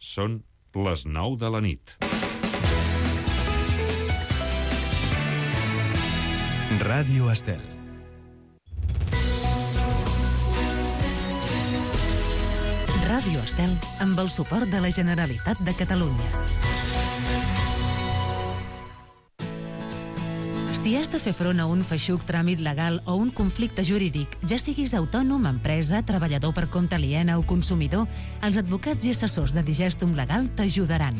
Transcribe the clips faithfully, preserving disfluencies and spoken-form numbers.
Són les nou de la nit. Ràdio Estel. Ràdio Estel, amb el suport de la Generalitat de Catalunya. Si has de fer front a un feixuc tràmit legal o un conflicte jurídic, ja siguis autònom, empresa, treballador per compte aliena o consumidor, els advocats i assessors de Digestum Legal t'ajudaran.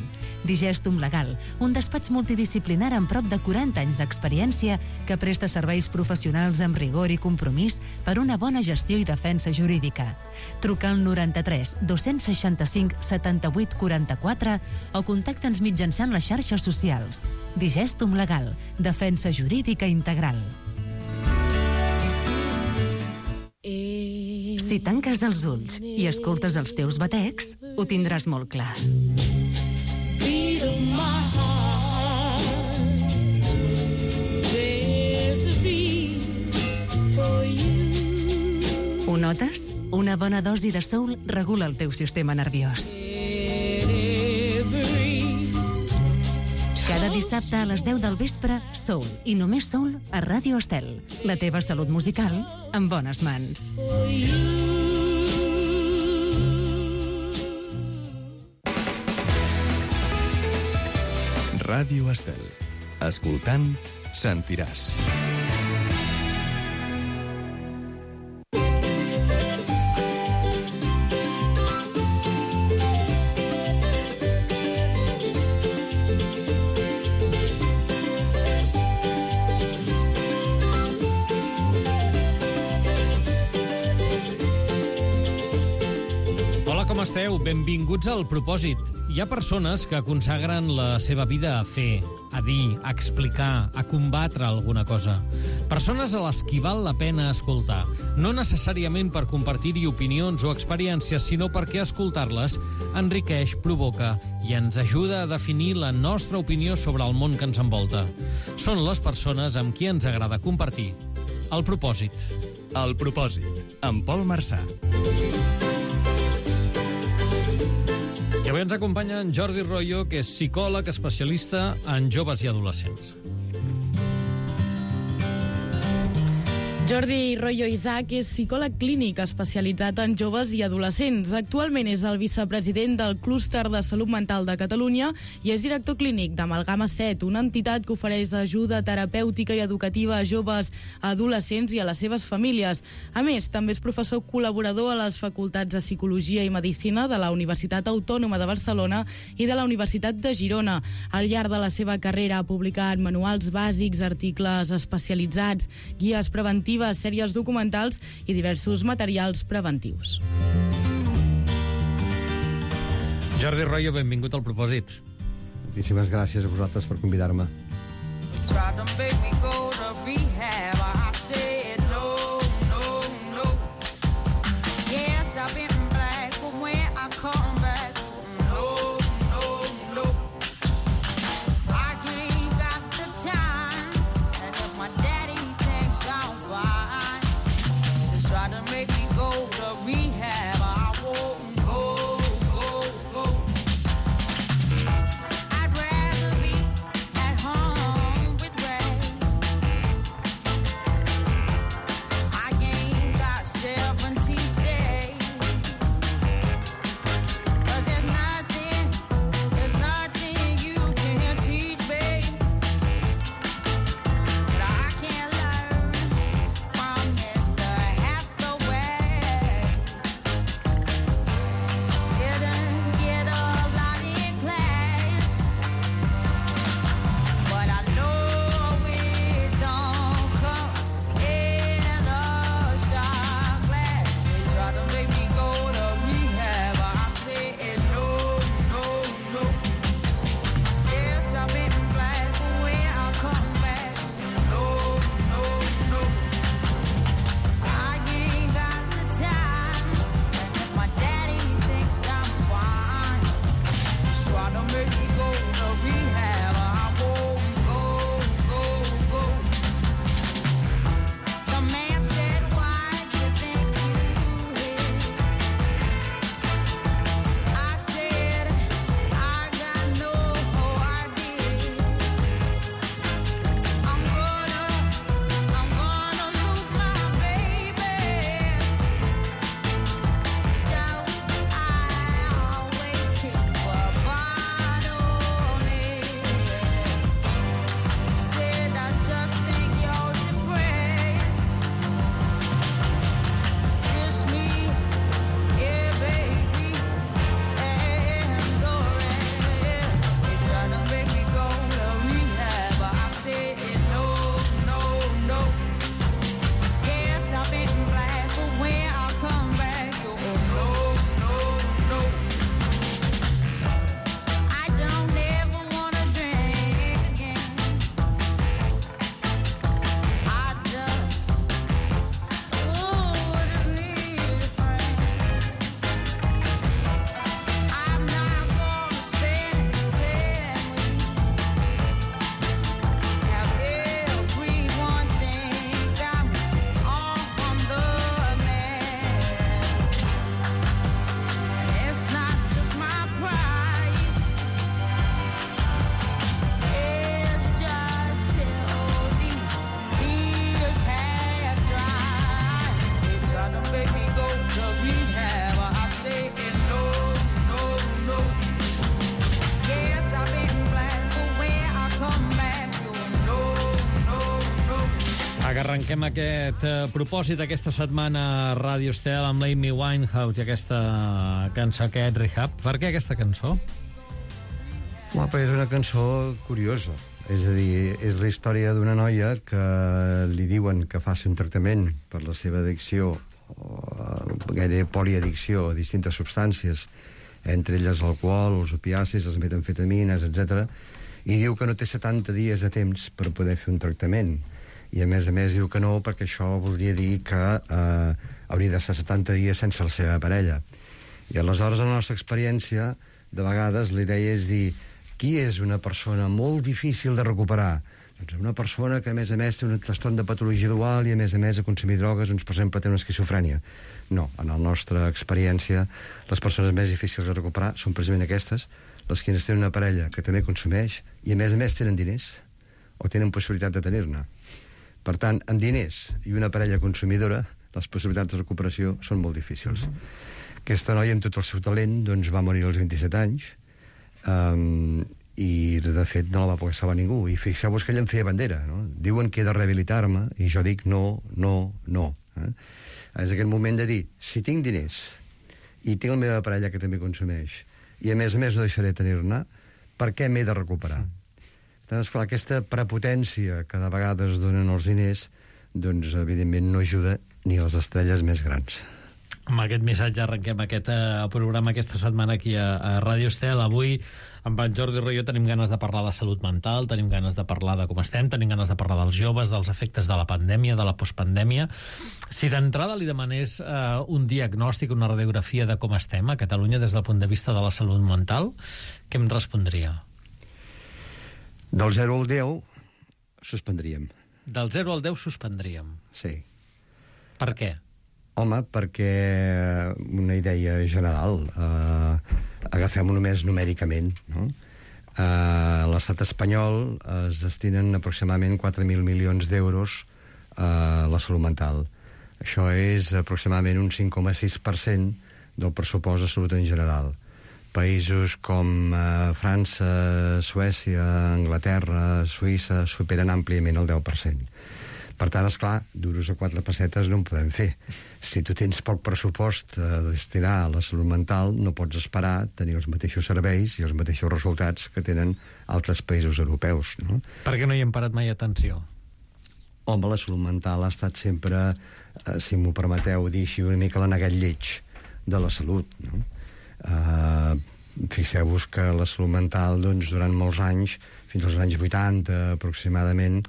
Digestum Legal, un despatx multidisciplinar amb prop de quaranta anys d'experiència que presta serveis professionals amb rigor i compromís per una bona gestió i defensa jurídica. Truca al noranta-tres dos-cents seixanta-cinc setanta-vuit quaranta-quatre o contacta'ns mitjançant les xarxes socials. Digestum Legal, defensa jurídica integral. Si tanques els ulls i escoltes els teus batecs, ho tindràs molt clar. Ho notes? Una bona dosi de soul regula el teu sistema nerviós. Cada dissabte a les deu del vespre, Soul, i només Soul a Ràdio Estel. La teva salut musical en bones mans. Ràdio Estel. Escoltant, sentiràs. Com esteu? Benvinguts al Propòsit. Hi ha persones que consagren la seva vida a fer, a dir, a explicar, a combatre alguna cosa. Persones a les qui val la pena escoltar. No necessàriament per compartir-hi opinions o experiències, sinó perquè escoltar-les enriqueix, provoca i ens ajuda a definir la nostra opinió sobre el món que ens envolta. Són les persones amb qui ens agrada compartir el propòsit. El Propòsit, amb Pol Marçà. I avui ens acompanya en Jordi Royo, que és psicòleg especialista en joves i adolescents. Jordi Royo Isaac és psicòleg clínic especialitzat en joves i adolescents. Actualment és el vicepresident del Clúster de Salut Mental de Catalunya i és director clínic d'Amalgama set, una entitat que ofereix ajuda terapèutica i educativa a joves, a adolescents i a les seves famílies. A més, també és professor col·laborador a les facultats de Psicologia i Medicina de la Universitat Autònoma de Barcelona i de la Universitat de Girona. Al llarg de la seva carrera ha publicat manuals bàsics, articles especialitzats, guies preventives, sèries documentals i diversos materials preventius. Jordi Royo, benvingut al Propòsit. Moltíssimes gràcies a vosaltres per convidar-me. arrenquem aquest eh, propòsit aquesta setmana a Ràdio Estel amb l'Amy Winehouse i aquesta cançó, aquest Rehab. Per què aquesta cançó? Home, és una cançó curiosa. És a dir, és la història d'una noia que li diuen que faci un tractament per la seva addicció, o gairebé poliaddicció a distintes substàncies, entre elles l'alcohol, els opiacis, les metamfetamines, etcètera, i diu que no té setanta dies de temps per poder fer un tractament. I a més a més diu que no, perquè això voldria dir que eh, hauria d'estar setanta dies sense la seva parella. I aleshores, en la nostra experiència, de vegades la idea és dir qui és una persona molt difícil de recuperar? Doncs una persona que, a més a més, té un trastorn de patologia dual i, a més a més, a consumir drogues, doncs, per exemple, té una esquizofrènia. No, en la nostra experiència, les persones més difícils de recuperar són precisament aquestes, les que tenen una parella que també consumeix i, a més a més, tenen diners o tenen possibilitat de tenir-ne. Per tant, amb diners i una parella consumidora, les possibilitats de recuperació són molt difícils. Mm-hmm. Aquesta noia, amb tot el seu talent, doncs, va morir als vint-i-set anys, um, i, de fet, no la va poder salvar ningú. I fixeu-vos que ella em feia bandera, no? Diuen que he de rehabilitar-me, i jo dic no, no, no. Eh? És aquest moment de dir, si tinc diners, i tinc la meva parella que també consumeix, i a més a més no deixaré tenir-ne, per què m'he de recuperar? Tant, esclar, aquesta prepotència que de vegades donen els diners, doncs, evidentment, no ajuda ni a les estrelles més grans. Amb aquest missatge arrenquem aquest eh, programa aquesta setmana aquí a, a Ràdio Estel. Avui, amb en Jordi Royo, tenim ganes de parlar de salut mental, tenim ganes de parlar de com estem, tenim ganes de parlar dels joves, dels efectes de la pandèmia, de la postpandèmia. Si d'entrada li demanés eh, un diagnòstic, una radiografia de com estem a Catalunya des del punt de vista de la salut mental, què em respondria? Del zero al deu, suspendríem. Del zero al deu suspendríem? Sí. Per què? Home, perquè una idea general, eh, agafem-ho només numèricament, no? Eh, a l'estat espanyol es destinen aproximadament quatre mil milions d'euros a la salut mental. Això és aproximadament un cinc coma sis per cent del pressupost de salut en general. Països com eh, França, Suècia, Anglaterra, Suïssa superen àmpliament el deu per cent. Per tant, esclar, duros a quatre pessetes no en podem fer. Si tu tens poc pressupost a destinar a la salut mental, no pots esperar tenir els mateixos serveis i els mateixos resultats que tenen altres països europeus, no? Per què no hi hem parat mai atenció? Home, la salut mental ha estat sempre, eh, si m'ho permeteu dir així, una mica l'anegat lleig de la salut, no? Eh, fixeu-vos que la salut mental, doncs, durant molts anys, fins als anys vuitanta aproximadament,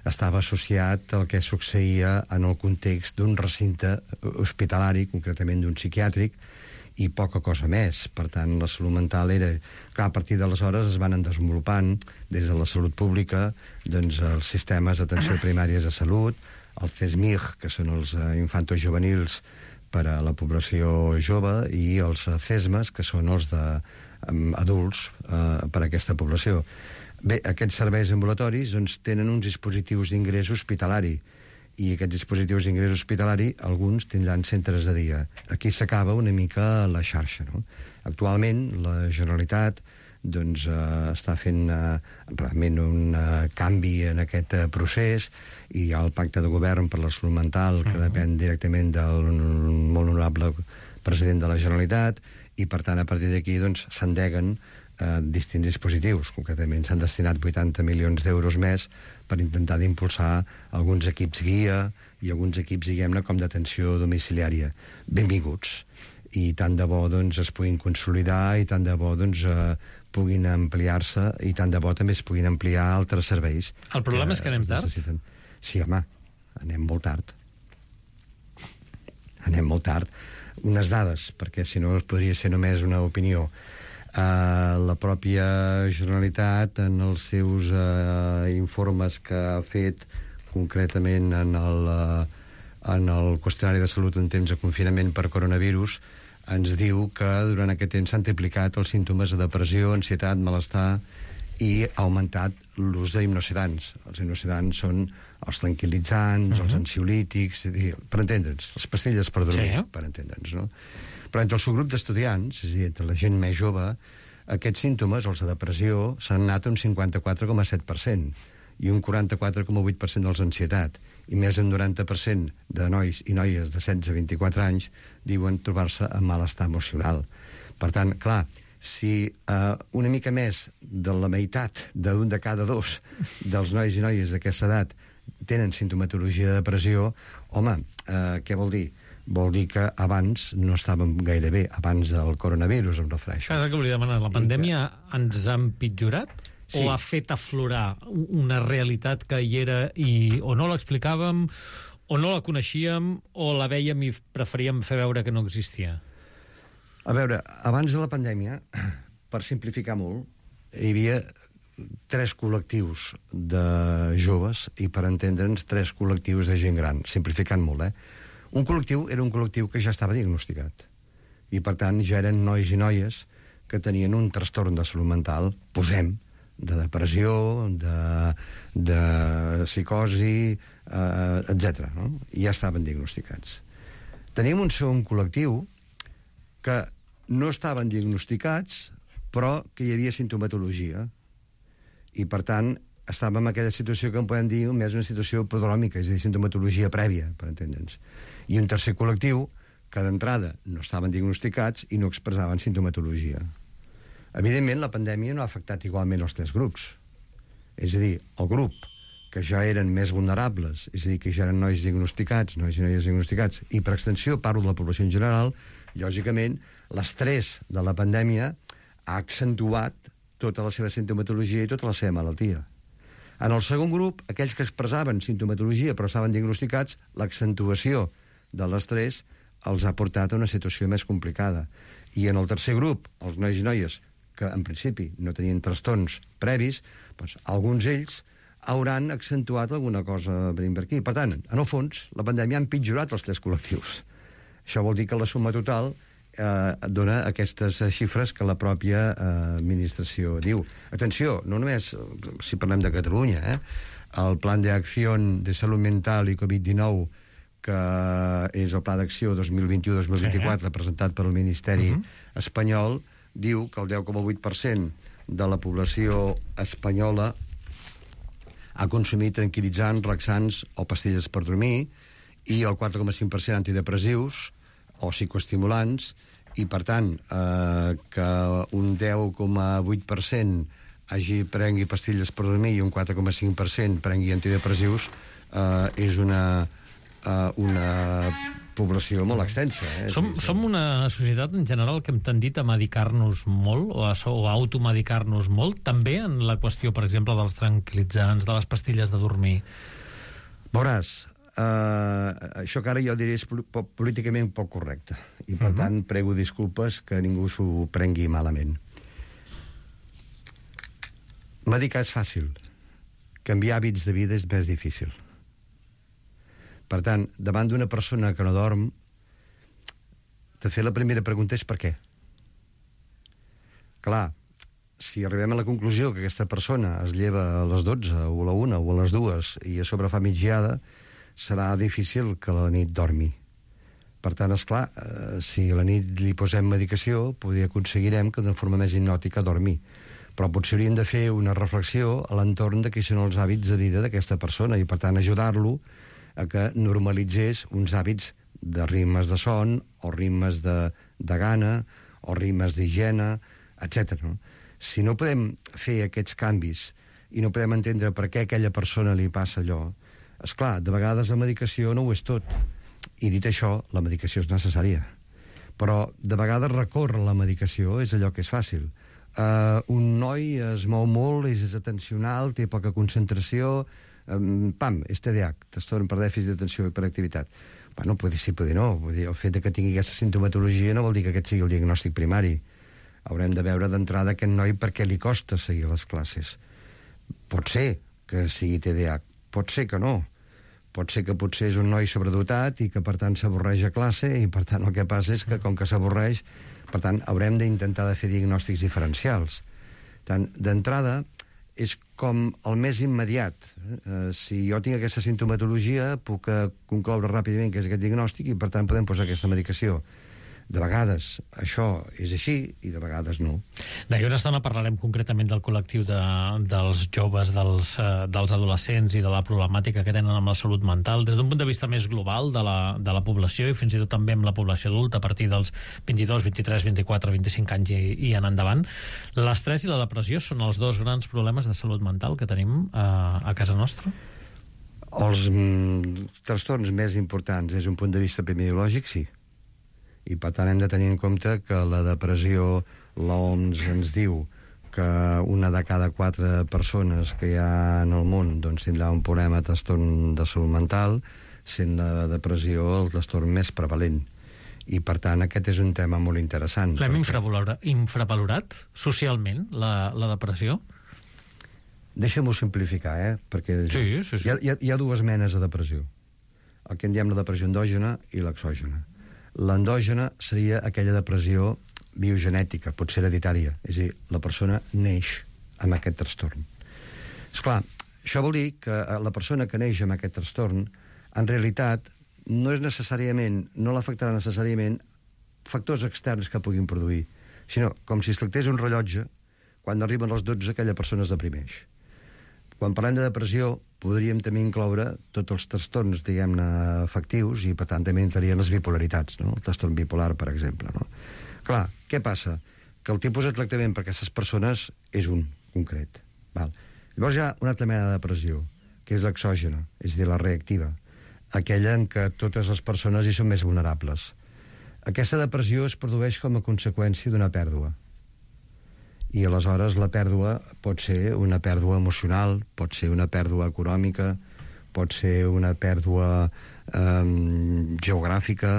estava associat al que succeïa en el context d'un recinte hospitalari, concretament d'un psiquiàtric, i poca cosa més. Per tant, la salut mental era... Clar, a partir d'aleshores es van desenvolupant, des de la salut pública, doncs, els sistemes d'atenció primàries de salut, el CESMIG, que són els eh, infantos juvenils per a la població jove, i els eh, CESMAs, que són els de eh, adults eh, per a aquesta població. Bé, aquests serveis ambulatoris, doncs, tenen uns dispositius d'ingrés hospitalari, i aquests dispositius d'ingrés hospitalari, alguns tindran centres de dia. Aquí s'acaba una mica la xarxa, no? Actualment, la Generalitat doncs, eh, està fent eh, realment un eh, canvi en aquest eh, procés, i hi ha el pacte de govern per la salut mental, que depèn directament del molt honorable president de la Generalitat, i, per tant, a partir d'aquí doncs, s'endeguen eh, distints dispositius. Concretament s'han destinat vuitanta milions d'euros més per intentar d'impulsar alguns equips guia i alguns equips, diguem-ne, com d'atenció domiciliària. Benvinguts. I tant de bo, doncs, es puguin consolidar, i tant de bo, doncs, eh, puguin ampliar-se, i tant de bo també es puguin ampliar altres serveis. El problema és que anem tard? Necessiten. Sí, home, anem molt tard. Anem molt tard. Unes dades, perquè si no podria ser només una opinió. Uh, la pròpia Generalitat, en els seus uh, informes que ha fet concretament en el, uh, en el qüestionari de salut en temps de confinament per coronavirus, ens diu que durant aquest temps s'han triplicat els símptomes de depressió, ansietat, malestar, i ha augmentat l'ús d'hipnosedants. Els hipnosedants són els tranquil·litzants, uh-huh. els ansiolítics, per entendre'ns, les pastilles per dormir, sí. per entendre'ns, no? Però entre el seu grup d'estudiants, és a dir, entre la gent més jove, aquests símptomes, els de depressió, s'han anat un cinquanta-quatre coma set per cent i un quaranta-quatre coma vuit per cent dels d'ansietat. i més del noranta per cent de nois i noies de setze a vint-i-quatre anys diuen trobar-se en malestar emocional. Per tant, clar, si eh, una mica més de la meitat d'un de cada dos dels nois i noies d'aquesta edat tenen sintomatologia de depressió, home, eh, què vol dir? Vol dir que abans no estàvem gaire bé, abans del coronavirus, em refereixo. Clar, que volia demanar, la pandèmia que... ens ha empitjorat? Sí. O ha fet aflorar una realitat que hi era i o no l'explicàvem, o no la coneixíem, o la vèiem i preferíem fer veure que no existia? A veure, abans de la pandèmia, per simplificar molt, hi havia tres col·lectius de joves i, per entendre'ns, tres col·lectius de gent gran, simplificant molt, eh? Un col·lectiu era un col·lectiu que ja estava diagnosticat i, per tant, ja eren nois i noies que tenien un trastorn de salut mental, posem, de depressió, de, de psicosi, eh, etcètera. No? I ja estaven diagnosticats. Teníem un segon col·lectiu que no estaven diagnosticats, però que hi havia sintomatologia. I, per tant, estàvem en aquella situació que en podem dir més una situació prodròmica, és a dir, sintomatologia prèvia, per entendre'ns. I un tercer col·lectiu que, d'entrada, no estaven diagnosticats i no expressaven sintomatologia. Evidentment, la pandèmia no ha afectat igualment els tres grups. És a dir, el grup que ja eren més vulnerables, és a dir, que ja eren nois diagnosticats, nois i noies diagnosticats, i per extensió parlo de la població en general, lògicament, l'estrès de la pandèmia ha accentuat tota la seva sintomatologia i tota la seva malaltia. En el segon grup, aquells que expressaven sintomatologia però estaven diagnosticats, l'accentuació de l'estrès els ha portat a una situació més complicada. I en el tercer grup, els nois i noies que en principi no tenien trastorns previs, doncs, alguns d'ells hauran accentuat alguna cosa per aquí. Per tant, en el fons, la pandèmia ha empitjorat els tres col·lectius. Això vol dir que la suma total eh, dona aquestes xifres que la pròpia eh, administració diu. Atenció, no només si parlem de Catalunya, eh? El Plan de Acción de Salut Mental i Covid dinou, que és el Pla d'Acció dos mil vint-i-u dos mil vint-i-quatre, sí, presentat pel Ministeri uh-huh. espanyol, diu que el deu coma vuit per cent de la població espanyola ha consumit tranquil·litzants, relaxants o pastilles per dormir, i el quatre coma cinc per cent antidepressius o psicoestimulants, i per tant eh, que un deu coma vuit per cent hagi prengui pastilles per dormir i un quatre coma cinc per cent prengui antidepressius eh, és una, eh, una població molt extensa. Eh? Som, som una societat en general que hem tendit a medicar-nos molt o a, o a automedicar-nos molt, també en la qüestió, per exemple, dels tranquil·litzants, de les pastilles de dormir. Veuràs, eh, això que ara jo diré és políticament poc correcte i per uh-huh. tant prego disculpes que ningú s'ho prengui malament. Medicar és fàcil, canviar hàbits de vida és més difícil. Per tant, davant d'una persona que no dorm, de fer la primera pregunta és per què. Clar, si arribem a la conclusió que aquesta persona es lleva a les dotze, o a la una, o a les dues, i a sobre fa migdiada, serà difícil que a la nit dormi. Per tant, esclar, eh, si a la nit li posem medicació, potser aconseguirem que d'una forma més hipnòtica dormi. Però potser hauríem de fer una reflexió a l'entorn de quins són els hàbits de vida d'aquesta persona i, per tant, ajudar-lo a que normalitzés uns hàbits de ritmes de son, o ritmes de, de gana, o ritmes d'higiene, etcètera. No? Si no podem fer aquests canvis i no podem entendre per què a aquella persona li passa allò, esclar, de vegades la medicació no ho és tot. I dit això, la medicació és necessària. Però de vegades recórrer la medicació és allò que és fàcil. Uh, un noi es mou molt, és atencional, té poca concentració, um, pam, és T D A H, trastorn per dèficit d'atenció i hiperactivitat. Bueno, potser sí, potser no. Vull dir, el fet que tingui aquesta sintomatologia no vol dir que aquest sigui el diagnòstic primari. Haurem de veure d'entrada aquest noi per què li costa seguir les classes. Pot ser que sigui T D A H, pot ser que no. Pot ser que potser és un noi sobredotat i que, per tant, s'avorreix a classe i, per tant, el que passa és que, com que s'avorreix, per tant, haurem d'intentar de fer diagnòstics diferencials. Tant, d'entrada, és com el més immediat. Eh, si jo tinc aquesta sintomatologia, puc concloure ràpidament que és aquest diagnòstic i, per tant, podem posar aquesta medicació. De vegades això és així i de vegades no. D'aquí una estona parlarem concretament del col·lectiu de, dels joves, dels, uh, dels adolescents i de la problemàtica que tenen amb la salut mental des d'un punt de vista més global de la, de la població i fins i tot també amb la població adulta a partir dels vint-i-dos, vint-i-tres, vint-i-quatre, vint-i-cinc anys i, i en endavant. L'estrès i la depressió són els dos grans problemes de salut mental que tenim uh, a casa nostra? Els mm, trastorns més importants des d'un punt de vista epidemiològic, sí. I per tant hem de tenir en compte que la depressió, l'O M S ens diu que una de cada quatre persones que hi ha en el món doncs, tindrà un problema de trastorn de salut mental, sent la depressió el trastorn més prevalent. I per tant aquest és un tema molt interessant. L'hem perquè... infravalorat socialment, la, la depressió? Deixa'm-ho simplificar, eh? Perquè sí, sí, sí. Hi, ha, hi, ha, hi ha dues menes de depressió. El que en diem la depressió endògena i l'exògena. L'endògena seria aquella depressió biogenètica, pot ser hereditària, és a dir, la persona neix amb aquest trastorn. Esclar, això vol dir que la persona que neix amb aquest trastorn, en realitat, no és necessàriament, no l'afectarà necessàriament factors externs que puguin produir, sinó com si es tractés un rellotge, quan arriben els dotze aquella persona es deprimeix. Quan parlem de depressió, podríem també incloure tots els trastorns, diguem-ne, afectius, i per tant també entrarien les bipolaritats, no? El trastorn bipolar, per exemple, no? Clar, què passa? Que el tipus de tractament per a aquestes persones és un, concret. Val? Llavors hi ha una altra mena de depressió, que és l'exògena, és a dir, la reactiva, aquella en què totes les persones hi són més vulnerables. Aquesta depressió es produeix com a conseqüència d'una pèrdua. I aleshores la pèrdua pot ser una pèrdua emocional, pot ser una pèrdua econòmica, pot ser una pèrdua eh, geogràfica,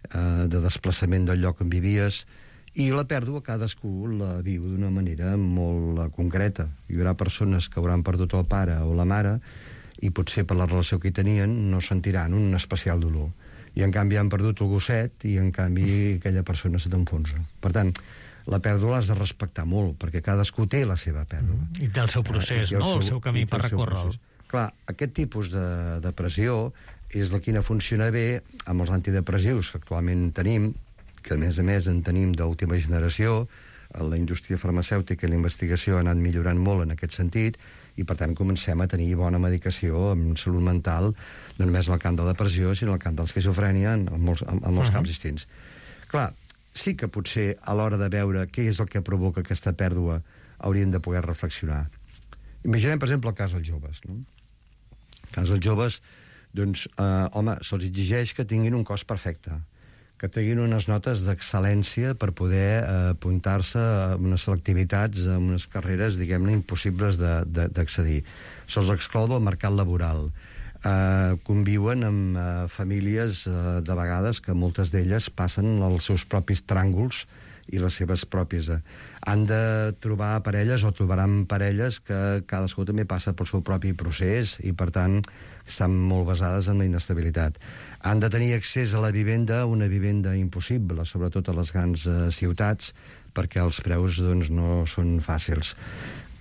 eh, de desplaçament del lloc on vivies, i la pèrdua cadascú la viu d'una manera molt concreta. Hi haurà persones que hauran perdut el pare o la mare i potser per la relació que hi tenien no sentiran un especial dolor. I en canvi han perdut el gosset i en canvi aquella persona se t'enfonsa. Per tant, la pèrdua l'has de respectar molt, perquè cadascú té la seva pèrdua. Mm. I té el seu procés, eh, no? El seu, el seu camí per recórrer-lo. Clar, aquest tipus de depressió és la que no funciona bé amb els antidepressius que actualment tenim, que a més a més en tenim d'última generació. La indústria farmacèutica i la investigació ha anat millorant molt en aquest sentit i per tant comencem a tenir bona medicació en salut mental, no només en el camp de la depressió, sinó en el camp de l'esquizofrènia, en molts, en, en molts uh-huh. camps distints. Clar, sí que potser a l'hora de veure què és el que provoca aquesta pèrdua hauríem de poder reflexionar. Imaginem, per exemple, el cas dels joves. No? El cas dels joves, doncs, eh, home, se'ls exigeix que tinguin un cos perfecte, que tinguin unes notes d'excel·lència per poder eh, apuntar-se a unes selectivitats, a unes carreres, diguem-ne, impossibles d'accedir. Se'ls exclou del mercat laboral. Uh, conviuen amb uh, famílies uh, de vegades que moltes d'elles passen els seus propis tràngols i les seves pròpies. Uh, han de trobar parelles o trobaran parelles que cadascú també passa pel seu propi procés i per tant estan molt basades en la inestabilitat. Han de tenir accés a la vivenda, una vivenda impossible, sobretot a les grans uh, ciutats, perquè els preus doncs, no són fàcils.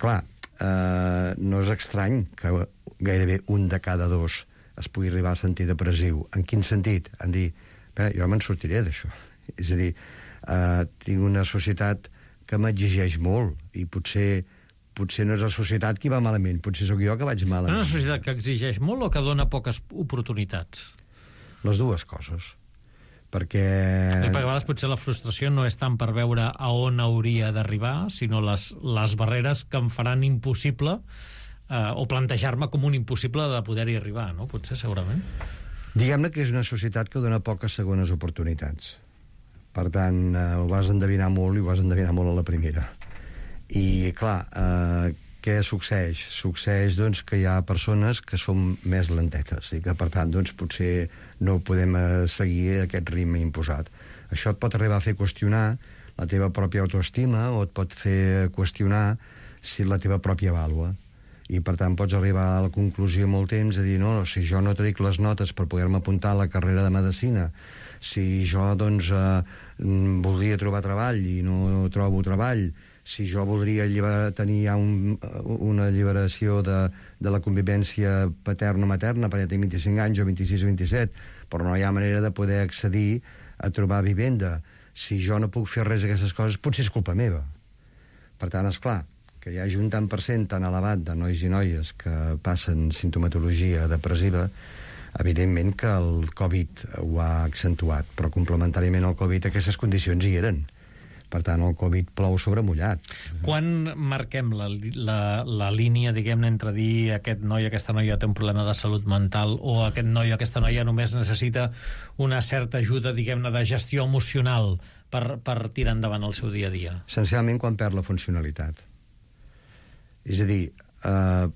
Clar, uh, no és estrany que gairebé un de cada dos es pugui arribar a sentir depressiu. En quin sentit? En dir, bé, jo me'n sortiré d'això. És a dir, eh, tinc una societat que m'exigeix molt i potser potser no és la societat qui va malament, potser sóc jo que vaig malament. Una societat que exigeix molt o que dona poques oportunitats? Les dues coses. Perquè... I perquè a vegades potser la frustració no és tant per veure a on hauria d'arribar, sinó les, les barreres que em faran impossible Uh, o plantejar-me com un impossible de poder-hi arribar, no? Potser, segurament. Diguem-ne que és una societat que dona poques segones oportunitats. Per tant, uh, ho vas endevinar molt i ho vas endevinar molt a la primera. I, clar, uh, què succeeix? Succeeix, doncs, que hi ha persones que són més lentetes i que, per tant, doncs, potser no podem uh, seguir aquest ritme imposat. Això et pot arribar a fer qüestionar la teva pròpia autoestima o et pot fer qüestionar si la teva pròpia vàlua. I, per tant, pots arribar a la conclusió molt temps de dir, no, si jo no trec les notes per poder-me apuntar a la carrera de medicina, si jo, doncs, eh, voldria trobar treball i no trobo treball, si jo voldria alliber... tenir ja un, una alliberació de, de la convivència paterno-materna, perquè tinc vint-i-cinc anys o vint-i-sis o vint-i-set, però no hi ha manera de poder accedir a trobar vivenda. si jo no puc fer res d'aquestes coses, potser és culpa meva. Per tant, és clar, que hi hagi un tant per cent tan elevat de nois i noies que passen sintomatologia depressiva, evidentment que el Covid ho ha accentuat, però complementàriament al Covid aquestes condicions hi eren. Per tant, el Covid plou sobre mullat. Quan marquem la, la, la línia, diguem-ne, entre dir aquest noi, aquesta noia té un problema de salut mental o aquest noi o aquesta noia només necessita una certa ajuda, diguem-ne, de gestió emocional per, per tirar endavant el seu dia a dia? Essencialment quan perd la funcionalitat. És a dir, eh,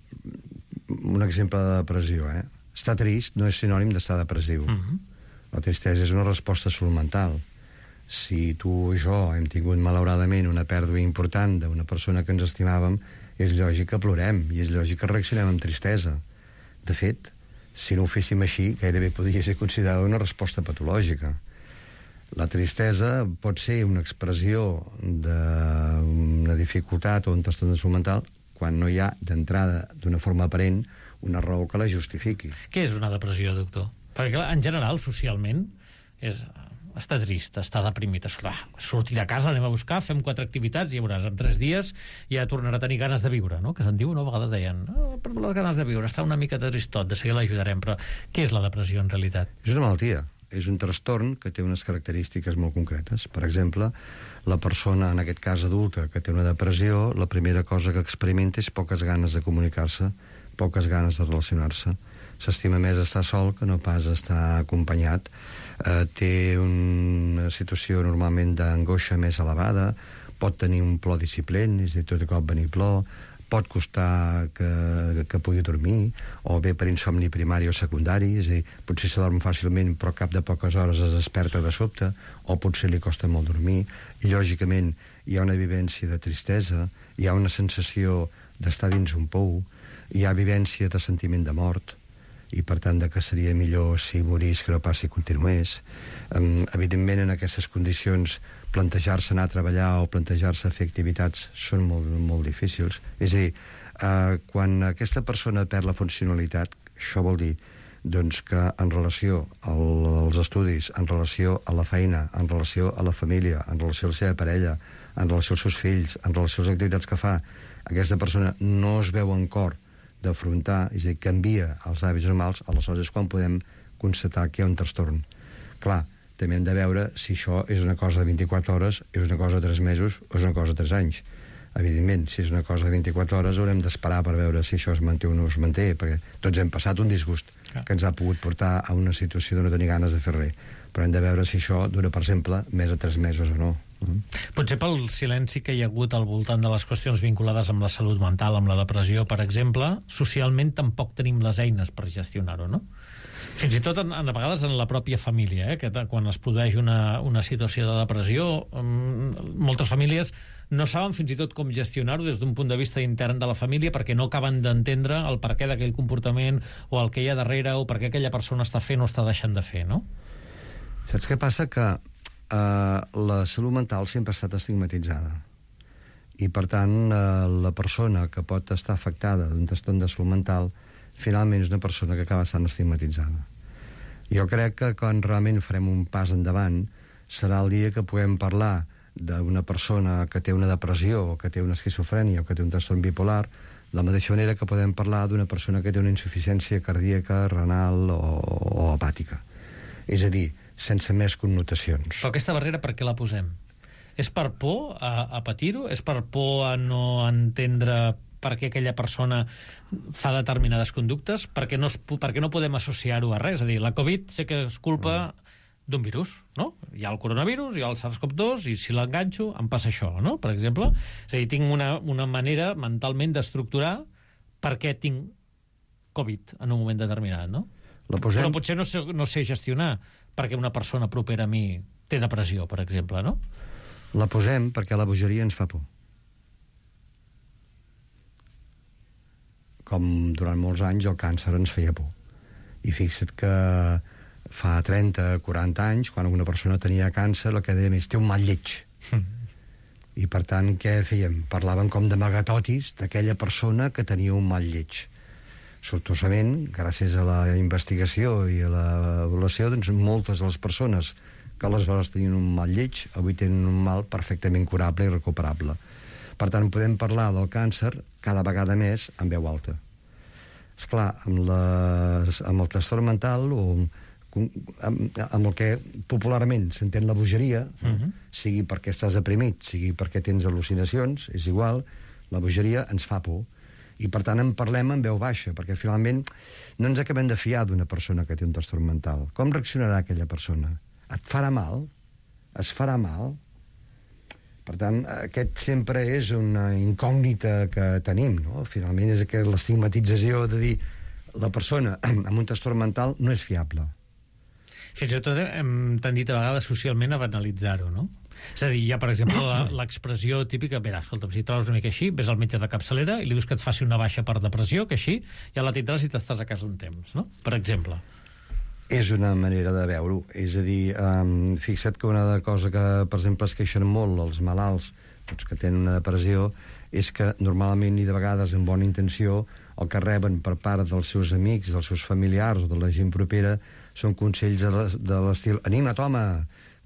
un exemple de depressió, eh? Estar trist no és sinònim d'estar depressiu. Uh-huh. La tristesa és una resposta a salut mental. Si tu o jo hem tingut malauradament una pèrdua important d'una persona que ens estimàvem, és lògic que plorem i és lògic que reaccionem amb tristesa. De fet, si no ho féssim així, gairebé podria ser considerada una resposta patològica. La tristesa pot ser una expressió d'una dificultat o un trastorn de salut mental quan no hi ha, d'entrada, d'una forma aparent, una raó que la justifiqui. Què és una depressió, doctor? Perquè, clar, en general, socialment, és... està trist, està deprimit, esclar, sortir de casa, anem a buscar, fem quatre activitats i ja veuràs, en tres dies ja tornarà a tenir ganes de viure, no? Que se'n diu, no? A vegades deien, oh, per les ganes de viure, està una mica tristot, de seguida l'ajudarem, però què és la depressió en realitat? És una malaltia, és un trastorn que té unes característiques molt concretes. Per exemple, la persona, en aquest cas adulta, que té una depressió, la primera cosa que experimenta és poques ganes de comunicar-se, poques ganes de relacionar-se. S'estima més estar sol que no pas estar acompanyat. Eh, té una situació normalment d'angoixa més elevada, pot tenir un plor disciplent, és a dir, tot de cop venir plor, pot costar que, que pugui dormir, o bé per insomni primari o secundari, és a dir, potser se dorm fàcilment però cap de poques hores es desperta de sobte, o potser li costa molt dormir, i lògicament hi ha una vivència de tristesa, hi ha una sensació d'estar dins un pou, hi ha vivència de sentiment de mort, i per tant de que seria millor si morís que no pas si continués. Um, evidentment en aquestes condicions plantejar-se anar a treballar o plantejar-se fer activitats són molt, molt difícils. És a dir, uh, quan aquesta persona perd la funcionalitat, això vol dir doncs, que en relació al, als estudis, en relació a la feina, en relació a la família, en relació a la seva parella, en relació als seus fills, en relació a les activitats que fa, aquesta persona no es veu en cor d'afrontar, és a dir, canvia els hàbits normals, aleshores és quan podem constatar que hi ha un trastorn. Clar, també hem de veure si això és una cosa de vint-i-quatre hores, és una cosa de tres mesos o és una cosa de tres anys. Evidentment, si és una cosa de vint-i-quatre hores haurem d'esperar per veure si això es manté o no es manté, perquè tots hem passat un disgust que ens ha pogut portar a una situació de no tenir ganes de fer res. Però hem de veure si això dura, per exemple, més de tres mesos o no. Potser pel silenci que hi ha hagut al voltant de les qüestions vinculades amb la salut mental, amb la depressió, per exemple, socialment tampoc tenim les eines per gestionar-ho, no? Fins i tot, en, en, a vegades, en la pròpia família, eh? Que quan es produeix una, una situació de depressió, um, moltes famílies no saben fins i tot com gestionar-ho des d'un punt de vista intern de la família perquè no acaben d'entendre el perquè d'aquell comportament o el que hi ha darrere o per què aquella persona està fent o està deixant de fer, no? Saps què passa? Que Uh, la salut mental sempre ha estat estigmatitzada i per tant uh, la persona que pot estar afectada d'un trastorn de salut mental finalment és una persona que acaba estant estigmatitzada. Jo crec que quan realment farem un pas endavant serà el dia que puguem parlar d'una persona que té una depressió o que té una esquizofrènia o que té un trastorn bipolar de la mateixa manera que podem parlar d'una persona que té una insuficiència cardíaca, renal o, o hepàtica. És a dir, sense més connotacions. Però aquesta barrera per què la posem? És per por a, a patir-ho? És per por a no entendre per què aquella persona fa determinades conductes? Perquè no, es, perquè no podem associar-ho a res? És a dir, la Covid sé que és culpa mm. d'un virus, no? Hi ha el coronavirus, hi ha el SARS CoV dos, i si l'enganxo em passa això, no? Per exemple. És a dir, tinc una, una manera mentalment d'estructurar per què tinc Covid en un moment determinat, no? La posem... Però potser no sé, no sé gestionar perquè una persona propera a mi té depressió, per exemple, no? La posem perquè la bogeria ens fa por. Com durant molts anys el càncer ens feia por. I fixa't que fa trenta, quaranta anys, quan una persona tenia càncer, el que dèiem és té un mal lleig. Mm. I per tant, què fèiem? Parlàvem com d'amagatotis d'aquella persona que tenia un mal lleig. Sortosament, gràcies a la investigació i a l'avaluació, doncs moltes de les persones que aleshores tenien un mal lleig, avui tenen un mal perfectament curable i recuperable. Per tant, podem parlar del càncer cada vegada més en veu alta. Esclar, amb, les, amb el trastorn mental o amb, amb el que popularment s'entén la bogeria, uh-huh. sigui perquè estàs deprimit, sigui perquè tens al·lucinacions, és igual, la bogeria ens fa por. I, per tant, en parlem en veu baixa, perquè finalment no ens acabem de fiar d'una persona que té un trastorn mental. Com reaccionarà aquella persona? Et farà mal? Es farà mal? Per tant, aquest sempre és una incògnita que tenim, no? Finalment és que l'estigmatització de dir la persona amb un trastorn mental no és fiable. Fins i tot hem tendit a vegades socialment a banalitzar-ho, no? És a dir, hi ha, per exemple, l'expressió típica, mira, escolta'm, si trobes una mica així, ves al metge de capçalera i li dius que et faci una baixa per depressió, que així ja la tindràs i t'estàs a casa un temps, no? Per exemple. És una manera de veure-ho. És a dir, um, fixa't que una cosa que, per exemple, es queixen molt els malalts, tots que tenen una depressió, és que normalment i de vegades amb bona intenció el que reben per part dels seus amics, dels seus familiars o de la gent propera són consells de l'estil anima't, home,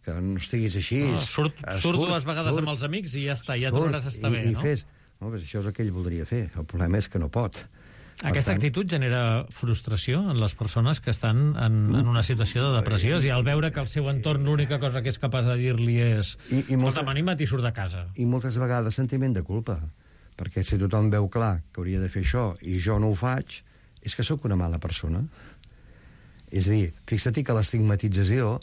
que no estiguis així. No, surt, surt, surt dues vegades surt, amb els amics i ja està, ja tornaràs a estar i, bé, i no? Fes. No, pues això és el que ell voldria fer. El problema és que no pot. Aquesta tant... actitud genera frustració en les persones que estan en, en una situació de depressió, i al veure que el seu entorn l'única cosa que és capaç de dir-li és I, i molta... escolta'm, anima't i surt de casa. I moltes vegades sentiment de culpa, perquè si tothom veu clar que hauria de fer això i jo no ho faig, és que sóc una mala persona. És a dir, fixa-t'hi que l'estigmatització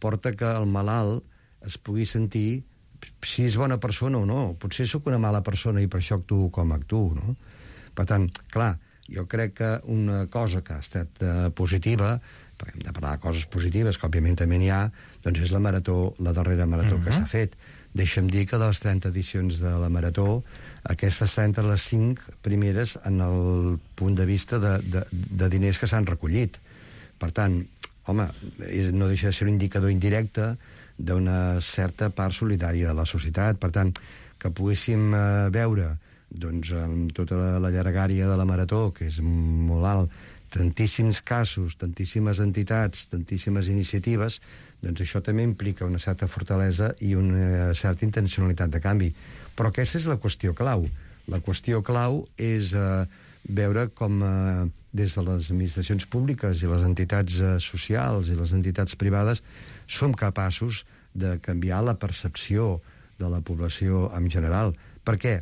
porta que el malalt es pugui sentir si és bona persona o no. Potser sóc una mala persona i per això actuo com actuo, no? Per tant, clar, jo crec que una cosa que ha estat uh, positiva, perquè hem de parlar de coses positives, que òbviament també n'hi ha, doncs és la marató, la darrera marató uh-huh. que s'ha fet. Deixa'm dir que de les trenta edicions de la marató, aquestes estan entre les cinc primeres en el punt de vista de, de, de diners que s'han recollit. Per tant, home, no deixa de ser un indicador indirecte d'una certa part solidària de la societat. Per tant, que poguéssim uh, veure doncs, amb tota la, la llargària de la marató, que és molt alt, tantíssims casos, tantíssimes entitats, tantíssimes iniciatives, doncs això també implica una certa fortalesa i una certa intencionalitat de canvi. Però aquesta és la qüestió clau. La qüestió clau és eh, veure com eh, des de les administracions públiques i les entitats eh, socials i les entitats privades som capaços de canviar la percepció de la població en general. Per què?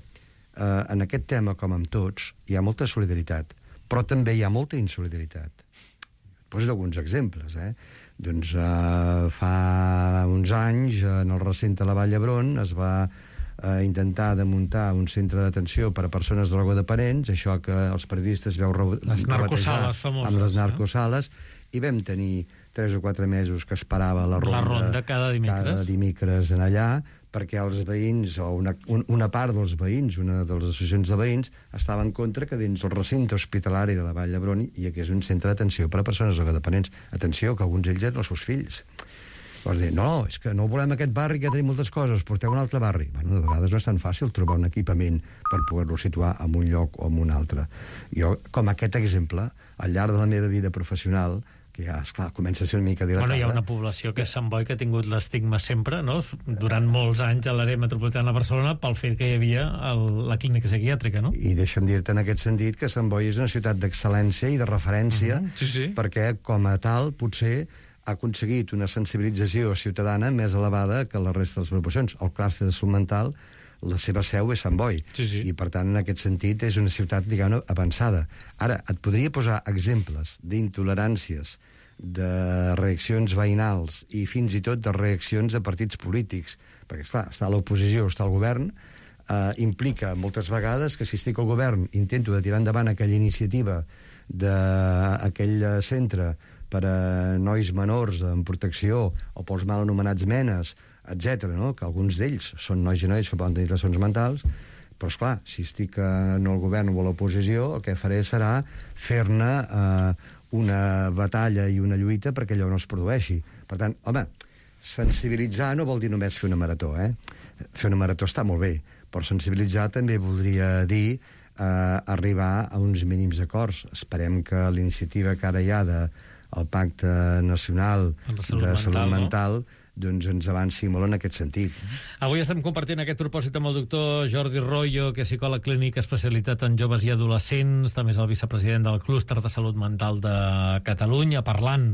Uh, en aquest tema, com amb tots, hi ha molta solidaritat, però també hi ha molta insolidaritat. Poso alguns exemples, eh? Doncs uh, fa uns anys, en el recinte de la Vall d'Hebron, es va uh, intentar de muntar un centre d'atenció per a persones drogodependents, això que els periodistes veu les narcosales famoses, amb les narcosales, no? I vam tenir tres o quatre mesos que esperava la ronda, la ronda cada dimecres. cada dimecres en allà, perquè els veïns, o una, una part dels veïns, una de les associacions de veïns, estava en contra que dins el recinte hospitalari de la Vall d'Hebron hi hagués un centre d'atenció per a persones drogodependents. Atenció, que alguns d'ells eren els seus fills. Vols dir, no, és que no volem aquest barri, que tenim moltes coses, porteu un altre barri. Bueno, de vegades no és tan fàcil trobar un equipament per poder-lo situar en un lloc o en un altre. Jo, com aquest exemple, al llarg de la meva vida professional, que ja, esclar, comença a ser una mica dilatada. Bueno, hi ha una població que és Sant Boi que ha tingut l'estigma sempre, no?, durant molts anys a l'àrea metropolitana de Barcelona pel fet que hi havia el, la clínica psiquiàtrica, no? I deixa'm dir-te en aquest sentit que Sant Boi és una ciutat d'excel·lència i de referència, uh-huh. sí, sí. perquè com a tal potser ha aconseguit una sensibilització ciutadana més elevada que la resta de les proporcions. El clúster de salut mental, la seva seu és Sant Boi, sí, sí. i per tant en aquest sentit és una ciutat, diguem-ne, avançada. Ara, et podria posar exemples d'intoleràncies, de reaccions veïnals i fins i tot de reaccions de partits polítics, perquè esclar, està a l'oposició, està al govern, eh, implica moltes vegades que si estic al govern intento de tirar endavant aquella iniciativa d'aquell centre per a nois menors en protecció o pels mal anomenats menes, etcètera, no? Que alguns d'ells són nois i noies que poden tenir trastorns mentals, però esclar, si estic en el govern o a l'oposició, el que faré serà fer-ne eh, una batalla i una lluita perquè allò no es produeixi. Per tant, home, sensibilitzar no vol dir només fer una marató, eh? Fer una marató està molt bé, però sensibilitzar també voldria dir eh, arribar a uns mínims acords. Esperem que l'iniciativa que ara hi ha de, el Pacte Nacional de Salut Mental, mental no? doncs ens avanci molt en aquest sentit. Avui estem compartint aquest propòsit amb el doctor Jordi Royo, que és psicòleg clínic especialitzat en joves i adolescents, també és el vicepresident del Clúster de Salut Mental de Catalunya, parlant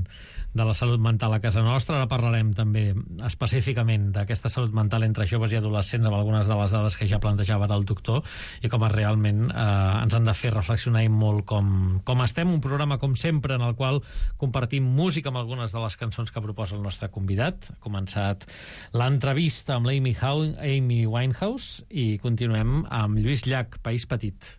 de la salut mental a casa nostra. Ara parlarem també específicament d'aquesta salut mental entre joves i adolescents amb algunes de les dades que ja plantejava el doctor i com realment eh, ens han de fer reflexionar molt com, com estem. Un programa, com sempre, en el qual compartim música amb algunes de les cançons que proposa el nostre convidat. Ha començat l'entrevista amb l'Amy Hou- Amy Winehouse i continuem amb Lluís Llach, País Petit.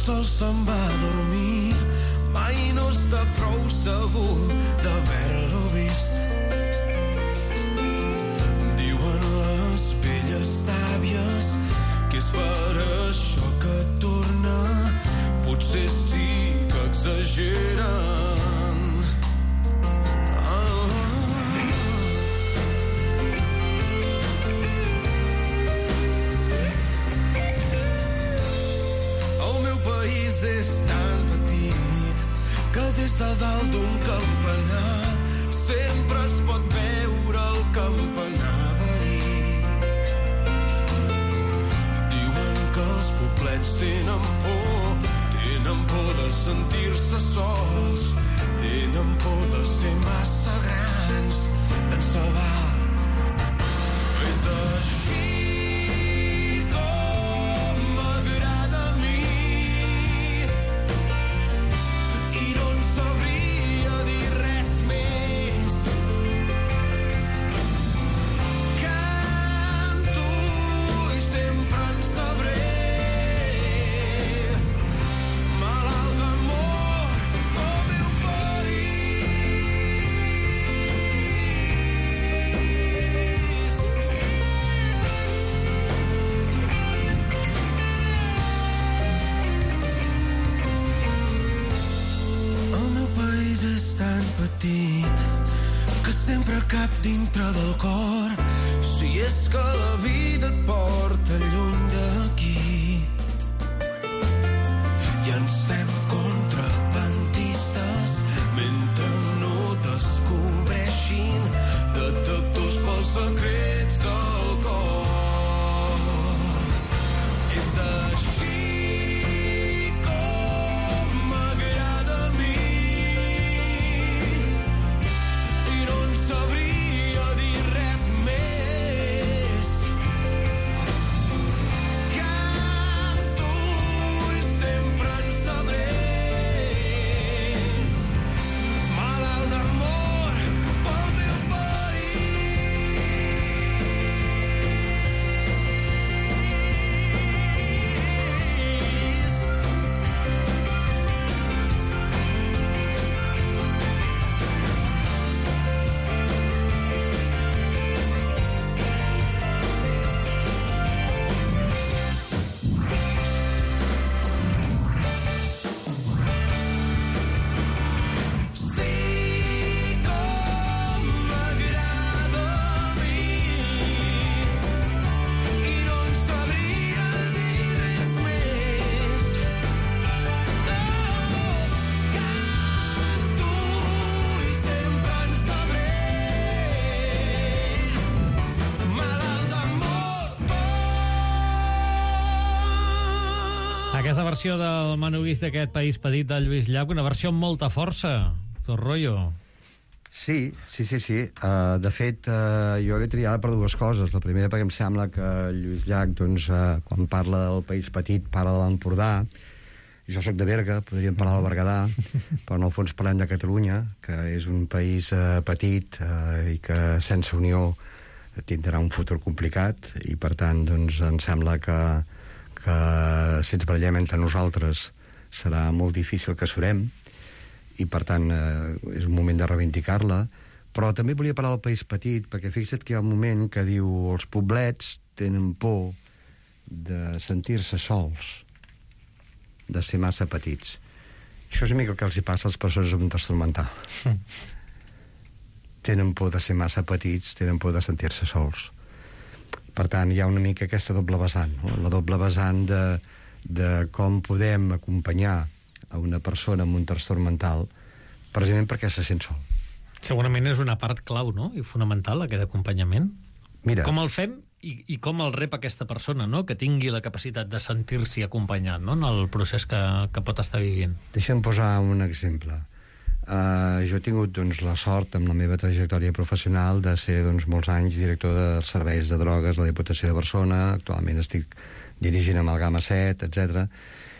sol se'n va a dormir, mai no està prou segur d'haver-lo vist. Diuen les velles sàvies que és per això que torna, potser sí que exageren. És tan petit que des de dalt d'un campanar sempre es pot veure el campanar veí. Diuen que els poblets tenen por, tenen por de sentir-se sols, tenen por de ser massa grans, d'en Sabal. És així que sempre cap dintre del cor, si és que la vida et porta lluny d'aquí. I ens fem contrabandistes mentre no descobreixin detectors pels secrets del cor. És així versió del Manubis d'aquest País Petit de Lluís Llach, una versió amb molta força, tot rotllo. Sí, sí, sí, sí. Uh, de fet, uh, jo l'he triat per dues coses. La primera perquè em sembla que Lluís Llach, doncs, uh, quan parla del País Petit, parla de l'Empordà. Jo sóc de Berga, podríem parlar del Berguedà, però en el fons parlem de Catalunya, que és un país uh, petit uh, i que sense unió tindrà un futur complicat, i per tant, doncs, em sembla que que si ens barallem entre nosaltres serà molt difícil que surem, i per tant eh, és un moment de reivindicar-la, Però també volia parlar del país petit, perquè fixa't que hi ha un moment que diu els poblets tenen por de sentir-se sols, de ser massa petits. Això és una mica el que els hi passa a les persones amb un trastorn mental. Mm. Tenen por de ser massa petits, tenen por de sentir-se sols. Per tant, hi ha una mica aquesta doble vessant, no? La doble vessant de, de com podem acompanyar a una persona amb un trastorn mental precisament perquè se sent sol. Segurament és una part clau, no?, i fonamental, aquest acompanyament. Mira, com el fem i, i com el rep aquesta persona, no?, que tingui la capacitat de sentir-s'hi acompanyat, no?, en el procés que, que pot estar vivint. Deixa'm posar un exemple. Uh, jo he tingut doncs, la sort, amb la meva trajectòria professional, de ser doncs, molts anys director de serveis de drogues a la Diputació de Barcelona. Actualment estic dirigint Amalgama set, etcètera.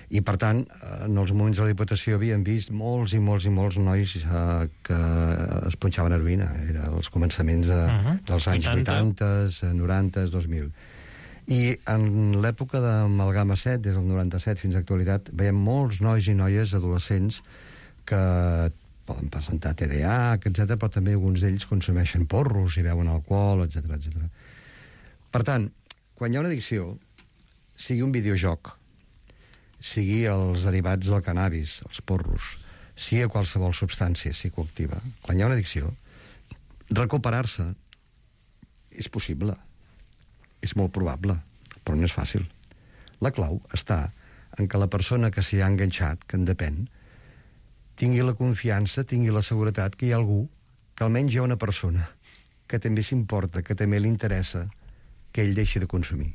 I, per tant, en els moments de la Diputació havíem vist molts i molts i molts nois uh, que es punxaven heroïna. Era els començaments de, uh -huh. dels anys vuitanta, noranta, dos mil. I en l'època d'Amalgama set, des del noranta-set fins a l'actualitat, veiem molts nois i noies adolescents que poden presentar T D A H, etcètera, però també alguns d'ells consumeixen porros i beuen alcohol, etcètera, etcètera. Per tant, quan hi ha una addicció, sigui un videojoc, sigui els derivats del cannabis, els porros, sigui qualsevol substància psicoactiva, quan hi ha una addicció, recuperar-se és possible, és molt probable, però no és fàcil. La clau està en que la persona que s'hi ha enganxat, que en depèn, tingui la confiança, tingui la seguretat que hi ha algú, que almenys hi ha una persona que també s'importa, que també li interessa que ell deixi de consumir.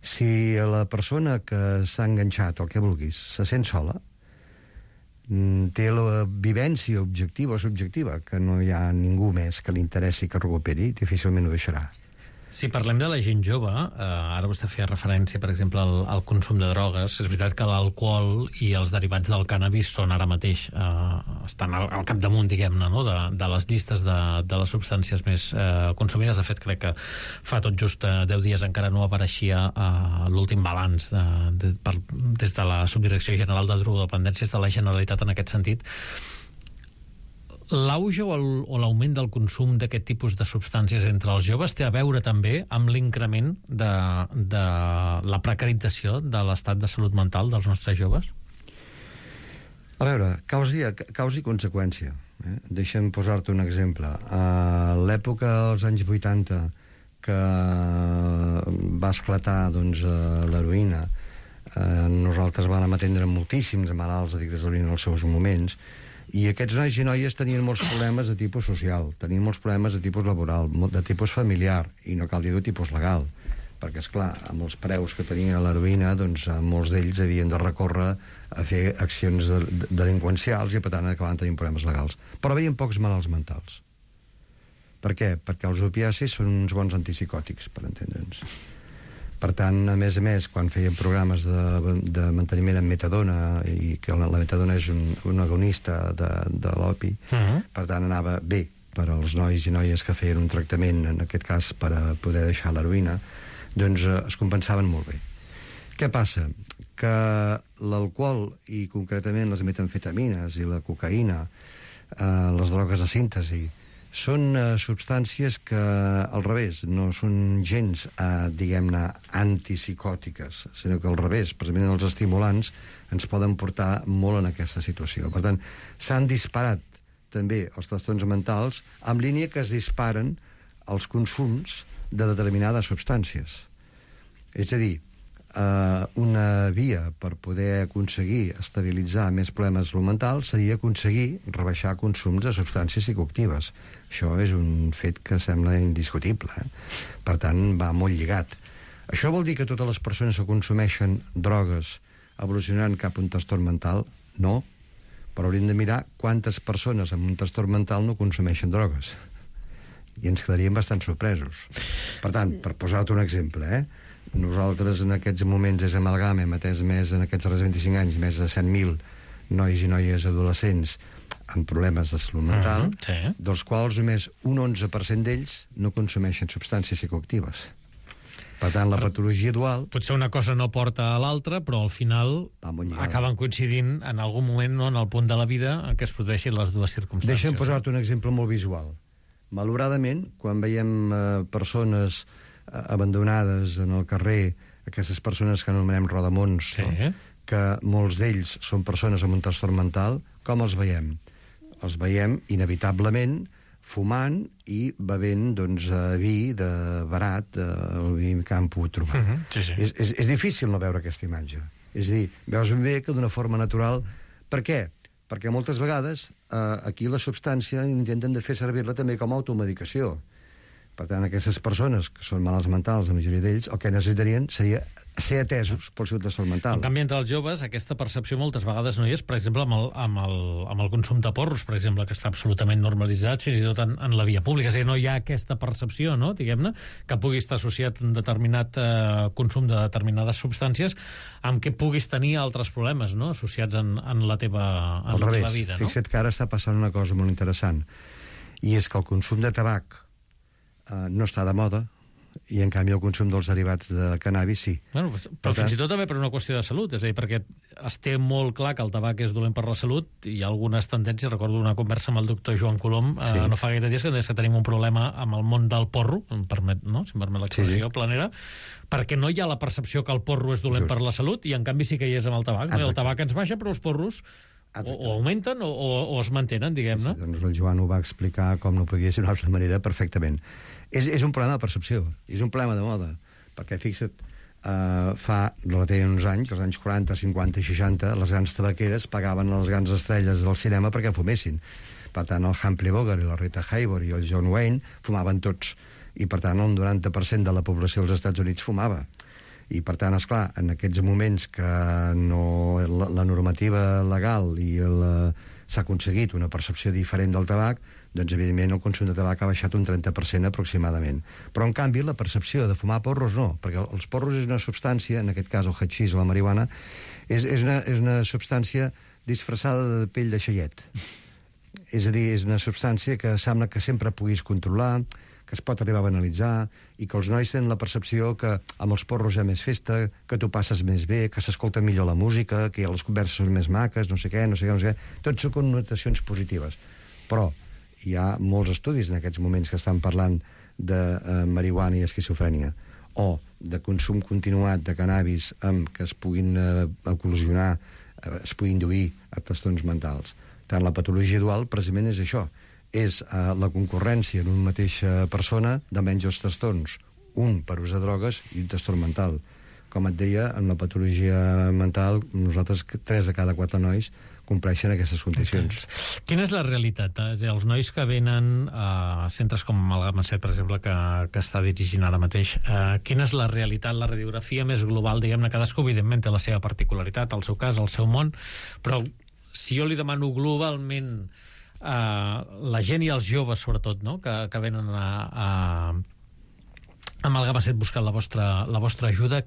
Si la persona que s'ha enganxat, el que vulguis, se sent sola, té la vivència objectiva o subjectiva, que no hi ha ningú més que li interessi que recuperi, difícilment ho deixarà. Si parlem de la gent jove, eh, ara vostè feia referència, per exemple, al, al consum de drogues, és veritat que l'alcohol i els derivats del cànnabis són ara mateix, eh, estan al, al capdamunt, diguem-ne, no?, de, de les llistes de, de les substàncies més eh, consumides. De fet, crec que fa tot just eh, deu dies encara no apareixia eh, l'últim balanç de, de, per, des de la Subdirecció General de Drogodependències de la Generalitat en aquest sentit. L'auge o l'augment del consum d'aquest tipus de substàncies entre els joves té a veure també amb l'increment de, de la precarització de l'estat de salut mental dels nostres joves? A veure, causa i, causa i conseqüència. Eh? Deixa'm posar-te un exemple. A l'època dels anys vuitanta, que va esclatar doncs, l'heroïna, eh, nosaltres vam atendre moltíssims malalts addictes a l'heroïna en els seus moments, i aquests nois i noies tenien molts problemes de tipus social, tenien molts problemes de tipus laboral, de tipus familiar, i no cal dir de tipus legal, perquè, esclar, amb els preus que tenia l'heroïna, doncs molts d'ells havien de recórrer a fer accions de, de, delinqüencials i, per tant, acabaven tenint problemes legals. Però veien pocs malalts mentals. Per què? Perquè els opiacis són uns bons antipsicòtics, per entendre'ns. Per tant, a més a més, quan feien programes de, de manteniment amb metadona, i que la, la metadona és un, un agonista de, de l'opi, uh-huh. per tant, anava bé per als nois i noies que feien un tractament, en aquest cas per a poder deixar l'heroïna, doncs eh, es compensaven molt bé. Què passa? Que l'alcohol, i concretament les metamfetamines i la cocaïna, eh, les drogues de síntesi, són eh, substàncies que, al revés, no són gens, eh, diguem-ne, antipsicòtiques, sinó que al revés, precisament els estimulants ens poden portar molt en aquesta situació. Per tant, s'han disparat també els trastorns mentals en línia que es disparen els consums de determinades substàncies. És a dir, eh, una via per poder aconseguir estabilitzar més problemes de salut mental seria aconseguir rebaixar consums de substàncies psicoactives. Això és un fet que sembla indiscutible. Eh? Per tant, va molt lligat. Això vol dir que totes les persones que consumeixen drogues evolucionaran cap a un trastorn mental? No. Però hauríem de mirar quantes persones amb un trastorn mental no consumeixen drogues. I ens quedaríem bastant sorpresos. Per tant, per posar-te un exemple, eh? nosaltres en aquests moments és Amalgama, hem atès més en aquests darrers vint-i-cinc anys, més de cent mil nois i noies adolescents amb problemes de salut mental, uh-huh, sí. dels quals només un onze per cent d'ells no consumeixen substàncies psicoactives. Per tant, la patologia dual... Potser una cosa no porta a l'altra, però al final acaben coincidint en algun moment, no, en el punt de la vida en què es produeixin les dues circumstàncies. Deixa'm posar-te un exemple molt visual. Malauradament, quan veiem eh, persones eh, abandonades en el carrer, aquestes persones que anomenem rodamons, Sí. no? que molts d'ells són persones amb un trastorn mental, com els veiem? Els veiem, inevitablement, fumant i bevent doncs, eh, vi de barat, eh, el vi que han pogut trobar. Mhm, sí, sí. És, és, és difícil no veure aquesta imatge. És a dir, veus ben bé que d'una forma natural... Per què? Perquè moltes vegades eh, aquí la substància intenten de fer servir-la també com a automedicació. Per tant, aquestes persones que són malalts mentals, la majoria d'ells, el que necessitarien seria ser atesos pel seu trastorn mental. En canvi, entre els joves, aquesta percepció moltes vegades no hi és, per exemple, amb el, amb el, amb el consum de porros, per exemple, que està absolutament normalitzat, fins i tot en, en la via pública. És a dir, no hi ha aquesta percepció, no?, diguem-ne, que pugui estar associat un determinat eh, consum de determinades substàncies amb què puguis tenir altres problemes, no?, associats en, en la teva, en la teva vida, no? Fixa't que ara està passant una cosa molt interessant, i és que el consum de tabac eh, no està de moda, i en canvi el consum dels derivats de cannabis sí. Bueno, però fins i tot també per una qüestió de salut, és a dir, perquè es té molt clar que el tabac és dolent per la salut, i hi ha algunes tendències, recordo una conversa amb el doctor Joan Colom, sí. eh, no fa gaire dies, que deia que tenim un problema amb el món del porro, em permet, no? si em permet l'expressió, sí, sí. planera, perquè no hi ha la percepció que el porro és dolent Just. per la salut, i en canvi sí que hi és amb el tabac. No? El tabac ens baixa, però els porros o, o augmenten o, o, o es mantenen, diguem-ne. Sí, sí, doncs el Joan ho va explicar com no podia ser d'una altra manera perfectament. És, és un problema de percepció, és un problema de moda, perquè fixa't, eh, fa relativament uns anys, als anys quaranta, cinquanta i seixanta, les grans tabaqueres pagaven a les grans estrelles del cinema perquè fumessin. Per tant, el Humphrey Bogart i la Rita Hayworth i el John Wayne fumaven tots, i per tant el noranta per cent de la població dels Estats Units fumava. I per tant, esclar, en aquests moments que no, la, la normativa legal i la, s'ha aconseguit una percepció diferent del tabac, doncs evidentment el consum de tabac ha baixat un trenta per cent aproximadament. Però en canvi la percepció de fumar porros no, perquè els porros és una substància, en aquest cas el hatxís o la marihuana, és, és, una, és una substància disfressada de pell de xaiet. És a dir, és una substància que sembla que sempre puguis controlar, que es pot arribar a banalitzar, i que els nois tenen la percepció que amb els porros hi ha més festa, que tu passes més bé, que s'escolta millor la música, que les converses són més maques, no sé què, no sé què, no sé què. Tot són connotacions positives. Però hi ha molts estudis en aquests moments que estan parlant de eh, marihuana i esquizofrènia, o de consum continuat de cannabis amb que es puguin eh, eclosionar, eh, es puguin induir a trastorns mentals. Tant la patologia dual precisament és això, és eh, la concurrència en una mateixa persona de menys els trastorns, un per usar drogues i un trastorn mental. Com et deia, en la patologia mental, nosaltres, tres de cada quatre nois compleixen aquestes condicions. Quina és la realitat? És a dir, els nois que venen a centres com el Gamma set, per exemple, que, que està dirigint ara mateix, eh, quina és la realitat, la radiografia més global? Diguem-ne, cadascú, evidentment, té la seva particularitat, el seu cas, el seu món, però si jo li demano globalment eh, la gent i els joves, sobretot, no?, que, que venen a, a, amb el Gamma set buscant la vostra, la vostra ajuda,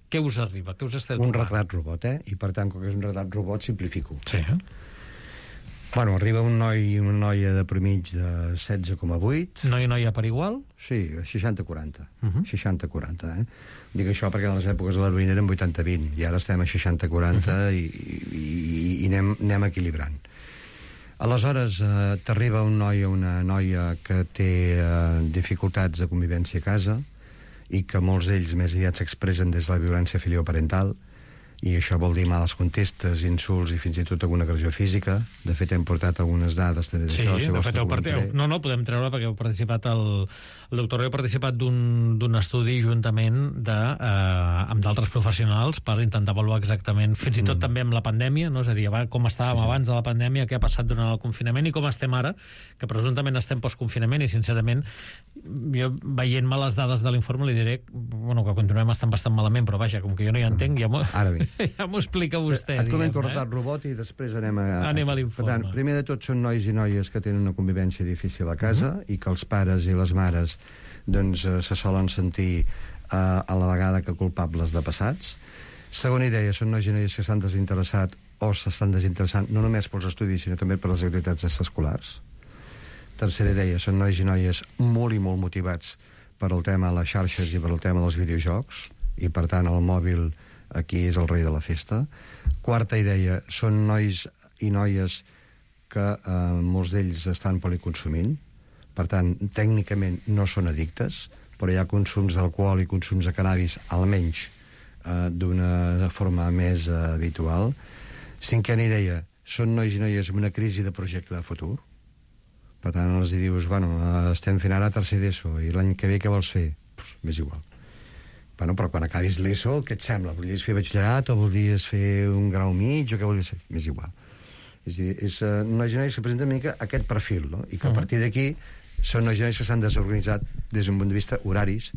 què us arriba? Què us esteu un trobant? retrat robot, eh? I per tant, com que és un retrat robot, simplifico. Sí, eh? Bueno, arriba un noi i una noia de promig de setze coma vuit. Noi i noia per igual? Sí, seixanta quaranta. Uh -huh. seixanta quaranta, eh? Dic això perquè en les èpoques de l'heroïna eren vuitanta vint, i ara estem a seixanta quaranta uh -huh. i, i, i anem, anem equilibrant. Aleshores, eh, t'arriba un noi o una noia que té eh, dificultats de convivència a casa, i que molts d'ells més aviat s'expressen des de la violència filioparental, i això vol dir males contestes, insults i fins i tot alguna agressió física. De fet, hem portat algunes dades també sí, d'això. Sí, de fet, heu part... no, no, podem treure perquè heu participat el, el doctor heu participat d'un estudi juntament de, eh, amb d'altres professionals per intentar avaluar exactament, fins i tot mm. també amb la pandèmia, no? És a dir, com estàvem sí, sí. abans de la pandèmia, què ha passat durant el confinament i com estem ara, que presumptament estem postconfinament, i sincerament jo veient-me les dades de l'informe li diré bueno, que continuem estant bastant malament, però vaja, com que jo no hi entenc, ja m'ho ja m'ho explica vostè. Et comento el retrat robot i després anem a... Anem a l'informe. Per tant, primer de tot són nois i noies que tenen una convivència difícil a casa uh -huh. i que els pares i les mares doncs, eh, se solen sentir eh, a la vegada que culpables de passats. Segona idea, són nois i noies que s'han desinteressat o s'estan desinteressant no només pels estudis, sinó també per les activitats extraescolars. Tercera idea, són nois i noies molt i molt motivats per el tema de les xarxes i per el tema dels videojocs, i per tant el mòbil aquí és el rei de la festa. Quarta idea, són nois i noies que eh, molts d'ells estan policonsumint. Per tant, tècnicament no són addictes, però hi ha consums d'alcohol i consums de cannabis, almenys eh, d'una forma més eh, habitual. Cinquena idea, són nois i noies amb una crisi de projecte de futur. Per tant, els dius, bueno, estem fent ara tercer d'ESO i l'any que ve què vols fer? Pues, m'és igual. Bueno, però quan acabis l'ESO, què et sembla? Voldries fer batxillerat o voldries fer un grau mig o què voldries fer? M'és igual. És a dir, és uh, nois i noies que presenten una mica aquest perfil, no? I que a partir d'aquí són nois i noies que s'han desorganitzat des d'un punt de vista horaris,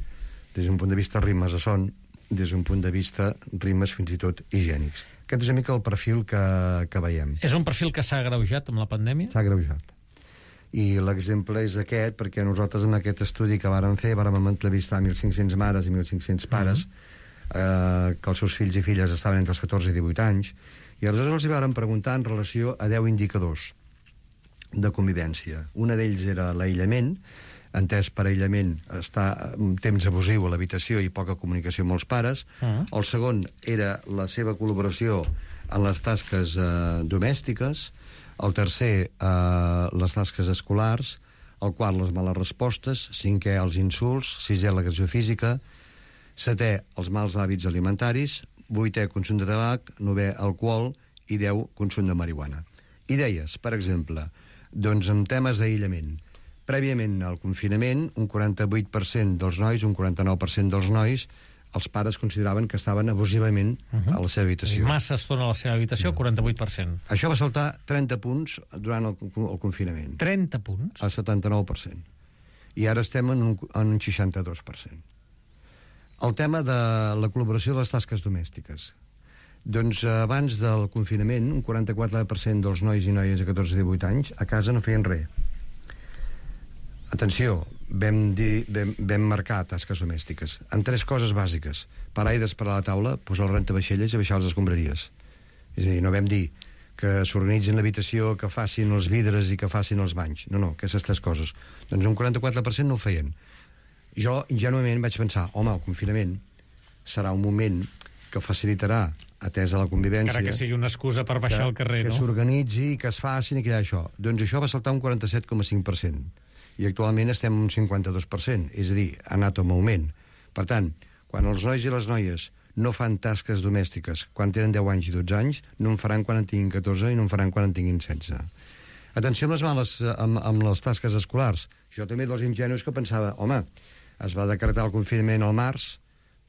des d'un punt de vista ritmes de son, des d'un punt de vista ritmes fins i tot higiènics. Aquest és una mica el perfil que, que veiem. És un perfil que s'ha agreujat amb la pandèmia? S'ha agreujat. I l'exemple és aquest, perquè nosaltres en aquest estudi que vàrem fer vàrem entrevistar mil cinc-cents mares i mil cinc-cents pares uh-huh. eh, que els seus fills i filles estaven entre els catorze i divuit anys, i aleshores els hi vàrem preguntar en relació a deu indicadors de convivència. Un d'ells era l'aïllament, entès per aïllament estar un temps abusiu a l'habitació i poca comunicació amb els pares. Uh-huh. El segon era la seva col·laboració en les tasques eh, domèstiques. El tercer, eh, les tasques escolars. El quart, les males respostes. Cinquè, els insults. Sisè, l'agressió física. Setè, els mals hàbits alimentaris. Vuitè, consum de tabac. Novè, alcohol. I deu, consum de marihuana. Idees, per exemple, doncs en temes d'aïllament. Prèviament al confinament, un quaranta-vuit per cent dels nois, un quaranta-nou per cent dels nois, els pares consideraven que estaven abusivament uh-huh. a la seva habitació. Massa estona a la seva habitació, quaranta-vuit per cent. Això va saltar trenta punts durant el, el confinament. trenta punts? Al setanta-nou per cent. I ara estem en un, en un seixanta-dos per cent. El tema de la col·laboració de les tasques domèstiques. Doncs abans del confinament, un quaranta-quatre per cent dels nois i noies de catorze a divuit anys a casa no feien res. Atenció, vam, dir, vam, vam marcar tasques domèstiques en tres coses bàsiques: parar i desparar la taula, posar el rentavaixelles i baixar les escombraries. És a dir, no vam dir que s'organitzin l'habitació, que facin els vidres i que facin els banys. No, no, aquestes tres coses. Doncs un quaranta-quatre per cent no ho feien. Jo, ingenuament, vaig pensar, home, el confinament serà un moment que facilitarà, atesa la convivència... Encara que sigui una excusa per baixar que, al carrer, que no? Que s'organitzi, que es facin i que hi ha això. Doncs això va saltar un quaranta-set coma cinc per cent. I actualment estem en un cinquanta-dos per cent, és a dir, ha anat en augment. Per tant, quan els nois i les noies no fan tasques domèstiques quan tenen deu anys i dotze anys, no en faran quan en tinguin catorze i no en faran quan en tinguin setze. Atenció amb les males, amb, amb les tasques escolars. Jo també dels ingenus que pensava, home, es va decretar el confinament al març,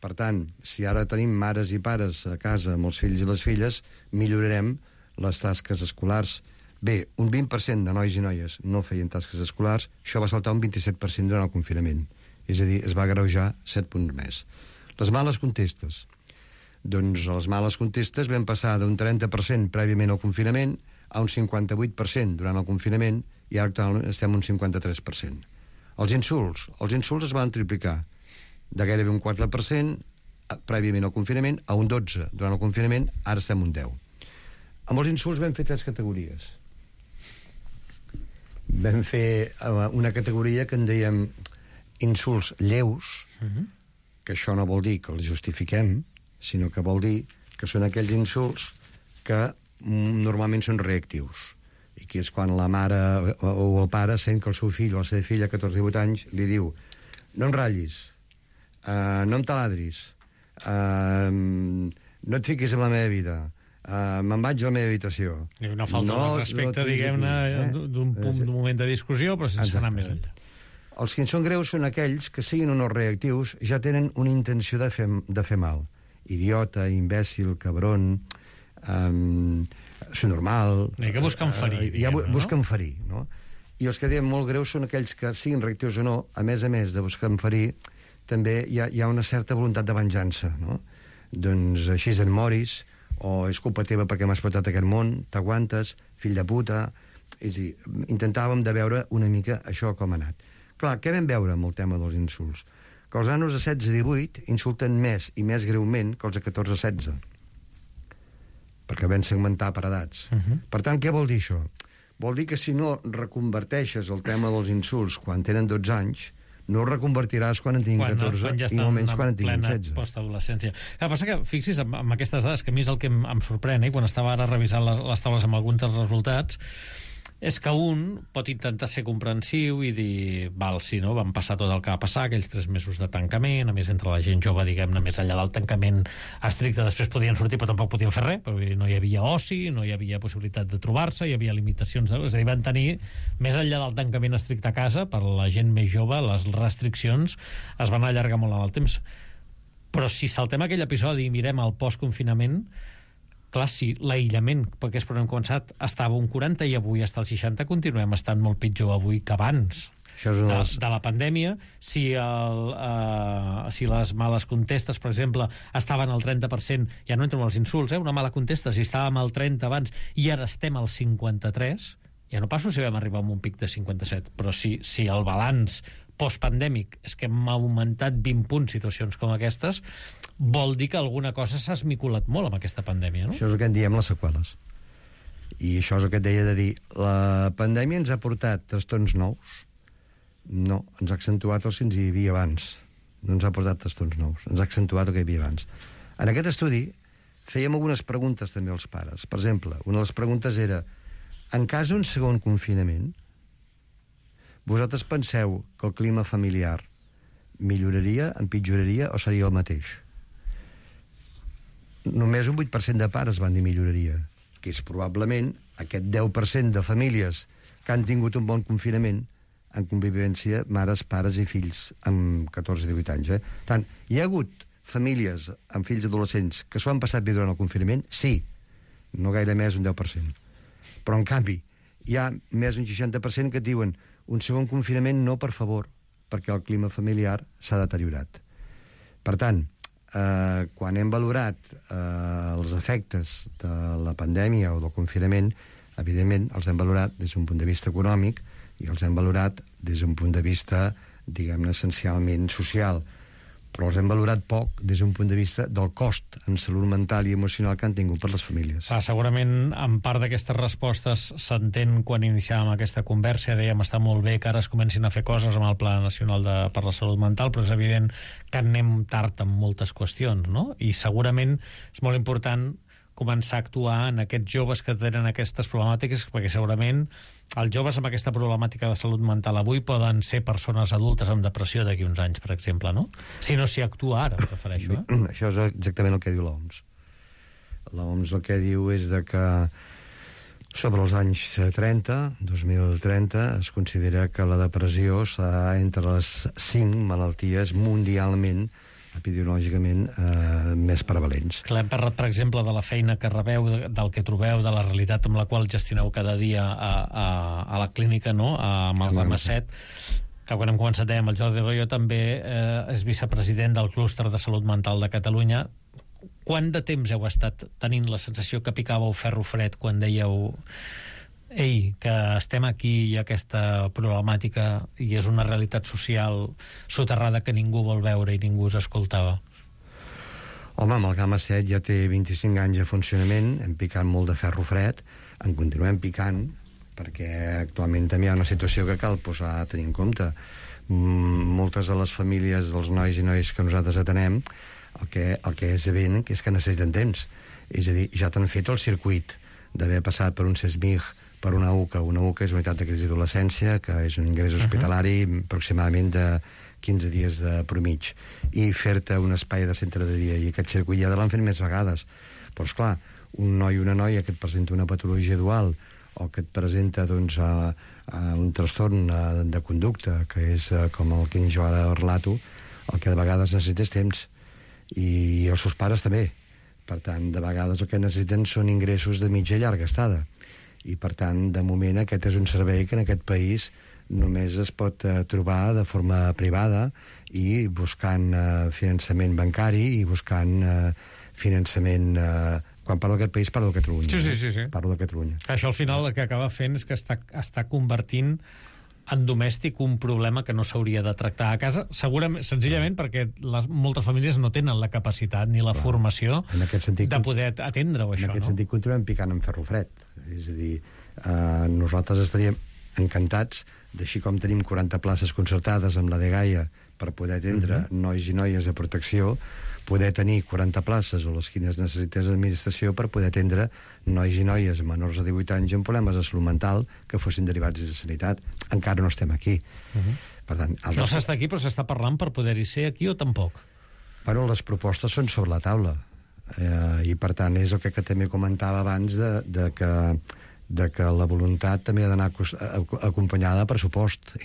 per tant, si ara tenim mares i pares a casa amb els fills i les filles, millorarem les tasques escolars. Bé, un vint per cent de nois i noies no feien tasques escolars, això va saltar un vint-i-set per cent durant el confinament. És a dir, es va agreujar set punts més. Les males contestes. Doncs les males contestes vam passar d'un trenta per cent prèviament al confinament a un cinquanta-vuit per cent durant el confinament i ara actualment estem un cinquanta-tres per cent. Els insults. Els insults es van triplicar de gairebé un quatre per cent prèviament al confinament a un dotze per cent durant el confinament, ara estem un deu per cent. Amb els insults vam fer tres categories. Vam fer una categoria que en dèiem insults lleus, uh-huh. que això no vol dir que els justifiquem, sinó que vol dir que són aquells insults que normalment són reactius. I que és quan la mare o el pare sent que el seu fill o la seva filla a catorze o divuit anys li diu: no em ratllis, uh, no em taladris, uh, no et fiquis en la meva vida, uh, me'n vaig a la meva habitació. I una falta no, de respecte, no diguem-ne, eh? d'un punt, d'un moment de discussió, però sense Exacte. anar més enllà. Els que són greus són aquells que, siguin o no reactius, ja tenen una intenció de fer, de fer mal. Idiota, imbècil, cabron, um, subnormal... I que busquen ferir, uh, ja busquen no? ferir, no? I els que diem molt greus són aquells que, siguin reactius o no, a més a més de buscar ferir, també hi ha, hi ha una certa voluntat de venjança, no? Doncs així en moris, o és culpa teva perquè m'has portat a aquest món, t'aguantes, fill de puta... És a dir, intentàvem de veure una mica això com ha anat. Clar, què vam veure amb el tema dels insults? Que els nanos de setze a divuit insulten més i més greument que els de catorze a setze. Perquè vam segmentar per edats. Uh-huh. Per tant, què vol dir això? Vol dir que si no reconverteixes el tema dels insults quan tenen dotze anys, no ho reconvertiràs quan en tinguin quan, catorze quan ja i no menys quan en tinguin setze. Postadolescència. El que passa que, fixis, amb, amb aquestes dades, que a mi és el que em, em sorprèn, eh? Quan estava ara revisant les, les taules amb alguns dels resultats, és que un pot intentar ser comprensiu i dir, val, sí, no, van passar tot el que va passar, aquells tres mesos de tancament, a més entre la gent jove, diguem-ne, més enllà del tancament estricte, després podien sortir però tampoc podien fer res, perquè no hi havia oci, no hi havia possibilitat de trobar-se, hi havia limitacions, de... és a dir, van tenir, més enllà del tancament estricte a casa, per la gent més jove, les restriccions es van allargar molt en el temps. Però si saltem aquell episodi i mirem el post-confinament, clar, si l'aïllament, perquè és per on hem començat, estava un quaranta i avui està al seixanta, continuem estant molt pitjor avui que abans de, les... de la pandèmia. Si, el, uh, si les males contestes, per exemple, estaven al trenta per cent, ja no entro amb els insults, eh? Una mala contesta, si estàvem al trenta abans i ara estem al cinquanta-tres, ja no passo si vam arribar a un pic de cinquanta-set, però si, si el balanç postpandèmic és que hem augmentat vint punts situacions com aquestes, vol dir que alguna cosa s'ha esmiculat molt amb aquesta pandèmia, no? Això és el que en diem les seqüeles. I això és el que et deia de dir. La pandèmia ens ha portat trastorns nous? No, ens ha accentuat els que ens hi havia abans. No ens ha portat trastorns nous, ens ha accentuat el que hi havia abans. En aquest estudi fèiem algunes preguntes també als pares. Per exemple, una de les preguntes era: en cas d'un segon confinament, vosaltres penseu que el clima familiar milloraria, empitjoraria o seria el mateix? Només un vuit per cent de pares van dir milloraria, que és probablement aquest deu per cent de famílies que han tingut un bon confinament en convivència, mares, pares i fills amb catorze i divuit anys. Eh? Tant, hi ha hagut famílies amb fills adolescents que s'ho han passat bé durant el confinament? Sí, no gaire més un deu per cent. Però, en canvi, hi ha més d'un seixanta per cent que et diuen un segon confinament no, per favor, perquè el clima familiar s'ha deteriorat. Per tant, eh, quan hem valorat eh, els efectes de la pandèmia o del confinament, evidentment els hem valorat des d'un punt de vista econòmic i els hem valorat des d'un punt de vista, diguem-ne, essencialment social. Però els hem valorat poc des d'un punt de vista del cost en salut mental i emocional que han tingut per les famílies. Ah, segurament, en part d'aquestes respostes s'entén quan iniciàvem aquesta conversa, dèiem, està molt bé que ara es comencin a fer coses amb el Pla Nacional de, per la Salut Mental, però és evident que anem tard en moltes qüestions, no? I segurament és molt important començar a actuar en aquests joves que tenen aquestes problemàtiques, perquè segurament els joves amb aquesta problemàtica de salut mental avui poden ser persones adultes amb depressió d'aquí uns anys, per exemple, no? Si no s'hi actua ara, prefereixo, eh? Això és exactament el que diu l'O M S. L'O M S el que diu és de que sobre els anys trenta, dos mil trenta, es considera que la depressió està entre les cinc malalties mundialment epidemiològicament eh, més prevalents. Clar, hem parlat, per exemple, de la feina que rebeu, del que trobeu, de la realitat amb la qual gestioneu cada dia a, a, a la clínica, no?, a Amalgama set, que quan hem començat dèiem, el Jordi Royo també eh, és vicepresident del Clúster de Salut Mental de Catalunya. Quant de temps heu estat tenint la sensació que picàveu ferro fred quan dèieu: ei, que estem aquí i aquesta problemàtica i és una realitat social soterrada que ningú vol veure i ningú us escoltava? Home, Amalgama set ja té vint-i-cinc anys de funcionament, hem picat molt de ferro fred, en continuem picant, perquè actualment també hi ha una situació que cal posar a tenir en compte. Moltes de les famílies dels nois i noies que nosaltres atenem, el que, el que és evident és que necessiten temps. És a dir, ja t'han fet el circuit d'haver passat per un CESMIG, per una U C A. Una U C A és unitat de crisi d'adolescència, que és un ingrés hospitalari uh-huh. aproximadament de quinze dies de promig, i fer-te un espai de centre de dia, i aquest circuit ja l'han fet més vegades. Però, esclar, un noi o una noia que et presenta una patologia dual o que et presenta, doncs, a, a un trastorn a, de conducta, que és a, com el que jo ara relato, el que de vegades necessites temps, i els seus pares també. Per tant, de vegades el que necessiten són ingressos de mitja i llarga estada. I, per tant, de moment, aquest és un servei que en aquest país només es pot eh, trobar de forma privada i buscant eh, finançament bancari i buscant eh, finançament... Eh, quan parlo d'aquest país, parlo de Catalunya. Sí, sí, sí, sí. Parlo de Catalunya. Això, al final, el que acaba fent és que està, està convertint en domèstic un problema que no s'hauria de tractar a casa, segurament, senzillament perquè les, moltes famílies no tenen la capacitat ni la Clar. formació sentit, de poder atendre-ho, això. En aquest no? sentit, continuem picant en ferro fred. És a dir, eh, nosaltres estaríem encantats d'així com tenim quaranta places concertades amb la de Gaia per poder atendre uh-huh. nois i noies de protecció, poder tenir quaranta places o les quines necessites l'administració per poder atendre nois i noies menors de divuit anys amb problemes de salut mental que fossin derivats de sanitat. Encara no estem aquí. Uh-huh. Per tant, no s'està aquí, però s'està parlant per poder-hi ser aquí o tampoc? Bueno, les propostes són sobre la taula. Eh, I, per tant, és el que, que també comentava abans de, de, que, de que la voluntat també ha d'anar acompanyada de pressupost.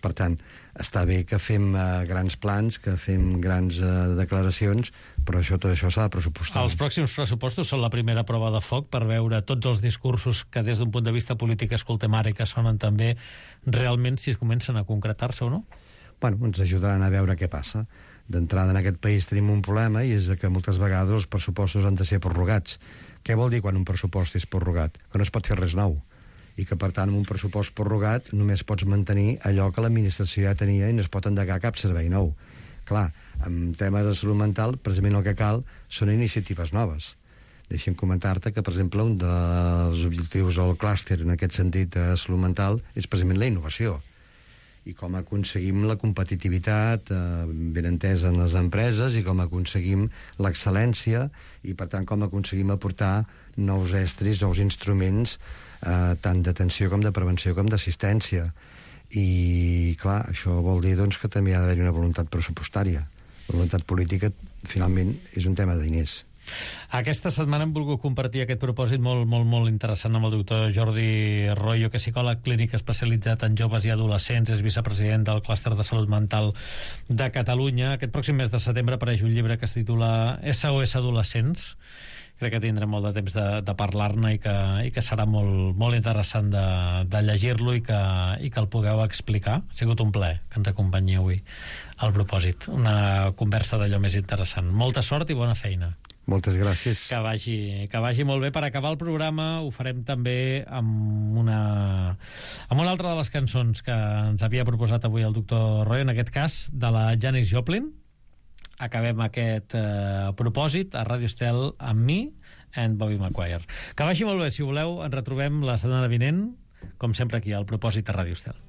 Per tant, està bé que fem uh, grans plans, que fem grans uh, declaracions, però això, tot això s'ha de pressupostar. Els pròxims pressupostos són la primera prova de foc per veure tots els discursos que des d'un punt de vista polític escoltem ara i que sonen també realment si es comencen a concretar-se o no? Bueno, ens ajudaran a veure què passa. D'entrada, en aquest país tenim un problema i és que moltes vegades els pressupostos han de ser prorrogats. Què vol dir quan un pressupost és prorrogat? Que no es pot fer res nou. I que, per tant, amb un pressupost prorrogat només pots mantenir allò que l'administració ja tenia i no es pot endegar cap servei nou. Clar, en temes de salut mental, precisament el que cal són iniciatives noves. Deixa'm comentar-te que, per exemple, un dels objectius del clúster en aquest sentit de salut mental és precisament la innovació. I com aconseguim la competitivitat eh, ben entesa en les empreses i com aconseguim l'excel·lència i, per tant, com aconseguim aportar nous estris, nous instruments eh, tant d'atenció com de prevenció com d'assistència. I, clar, això vol dir doncs, que també ha d'haver-hi una voluntat pressupostària. La voluntat política, finalment, és un tema de diners. Aquesta setmana hem volgut compartir aquest propòsit molt, molt, molt interessant amb el doctor Jordi Royo, que és psicòleg clínic especialitzat en joves i adolescents, és vicepresident del Clúster de Salut Mental de Catalunya. Aquest pròxim mes de setembre apareix un llibre que es titula S O S Adolescents. Crec que tindrem molt de temps de, de parlar-ne i, que, i que serà molt, molt interessant de, de llegir-lo i que, i que el pugueu explicar. Ha sigut un plaer que ens acompanyi avui al propòsit. Una conversa d'allò més interessant. Molta sort i bona feina. Moltes gràcies. Que vagi, que vagi molt bé. Per acabar el programa ho farem també amb una, amb una altra de les cançons que ens havia proposat avui el doctor Royo, en aquest cas de la Janis Joplin. Acabem aquest eh, propòsit a Ràdio Estel amb mi and Bobby Maguire. Que vagi molt bé. Si voleu, ens retrobem la setmana vinent, com sempre aquí al propòsit a Ràdio Estel.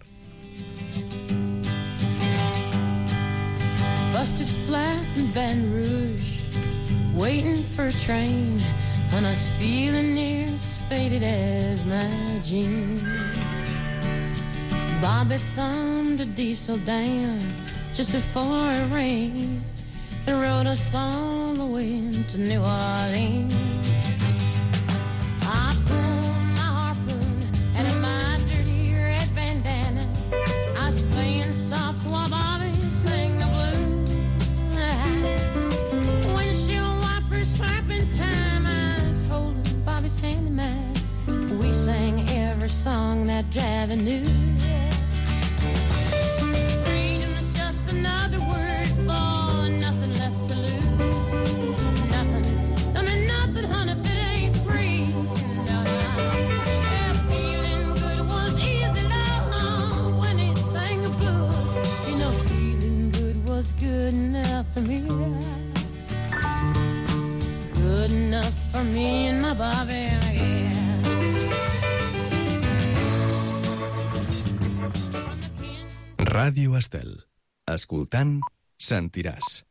Busted flat in Baton Rouge, waiting for a train, and I was feeling near as faded as my jeans. Bobby thumbed a diesel down just before it rained and rode us all the way to New Orleans. I pulled my harpoon out of my dirty red bandana. I was playing soft while Bobby sang the blues. Windshield wipers slapping time, I was holding Bobby's hand in mine. We sang every song that Javi knew. Freedom is just another word for nothing left to lose. Nothing, I mean nothing, honey, if it ain't free. No, no. Yeah, feeling good was easy, love, when he sang the blues. You know, feeling good was good enough for me. Good enough for me and my Bobby, yeah. Ràdio Estel. Escoltant, sentiràs.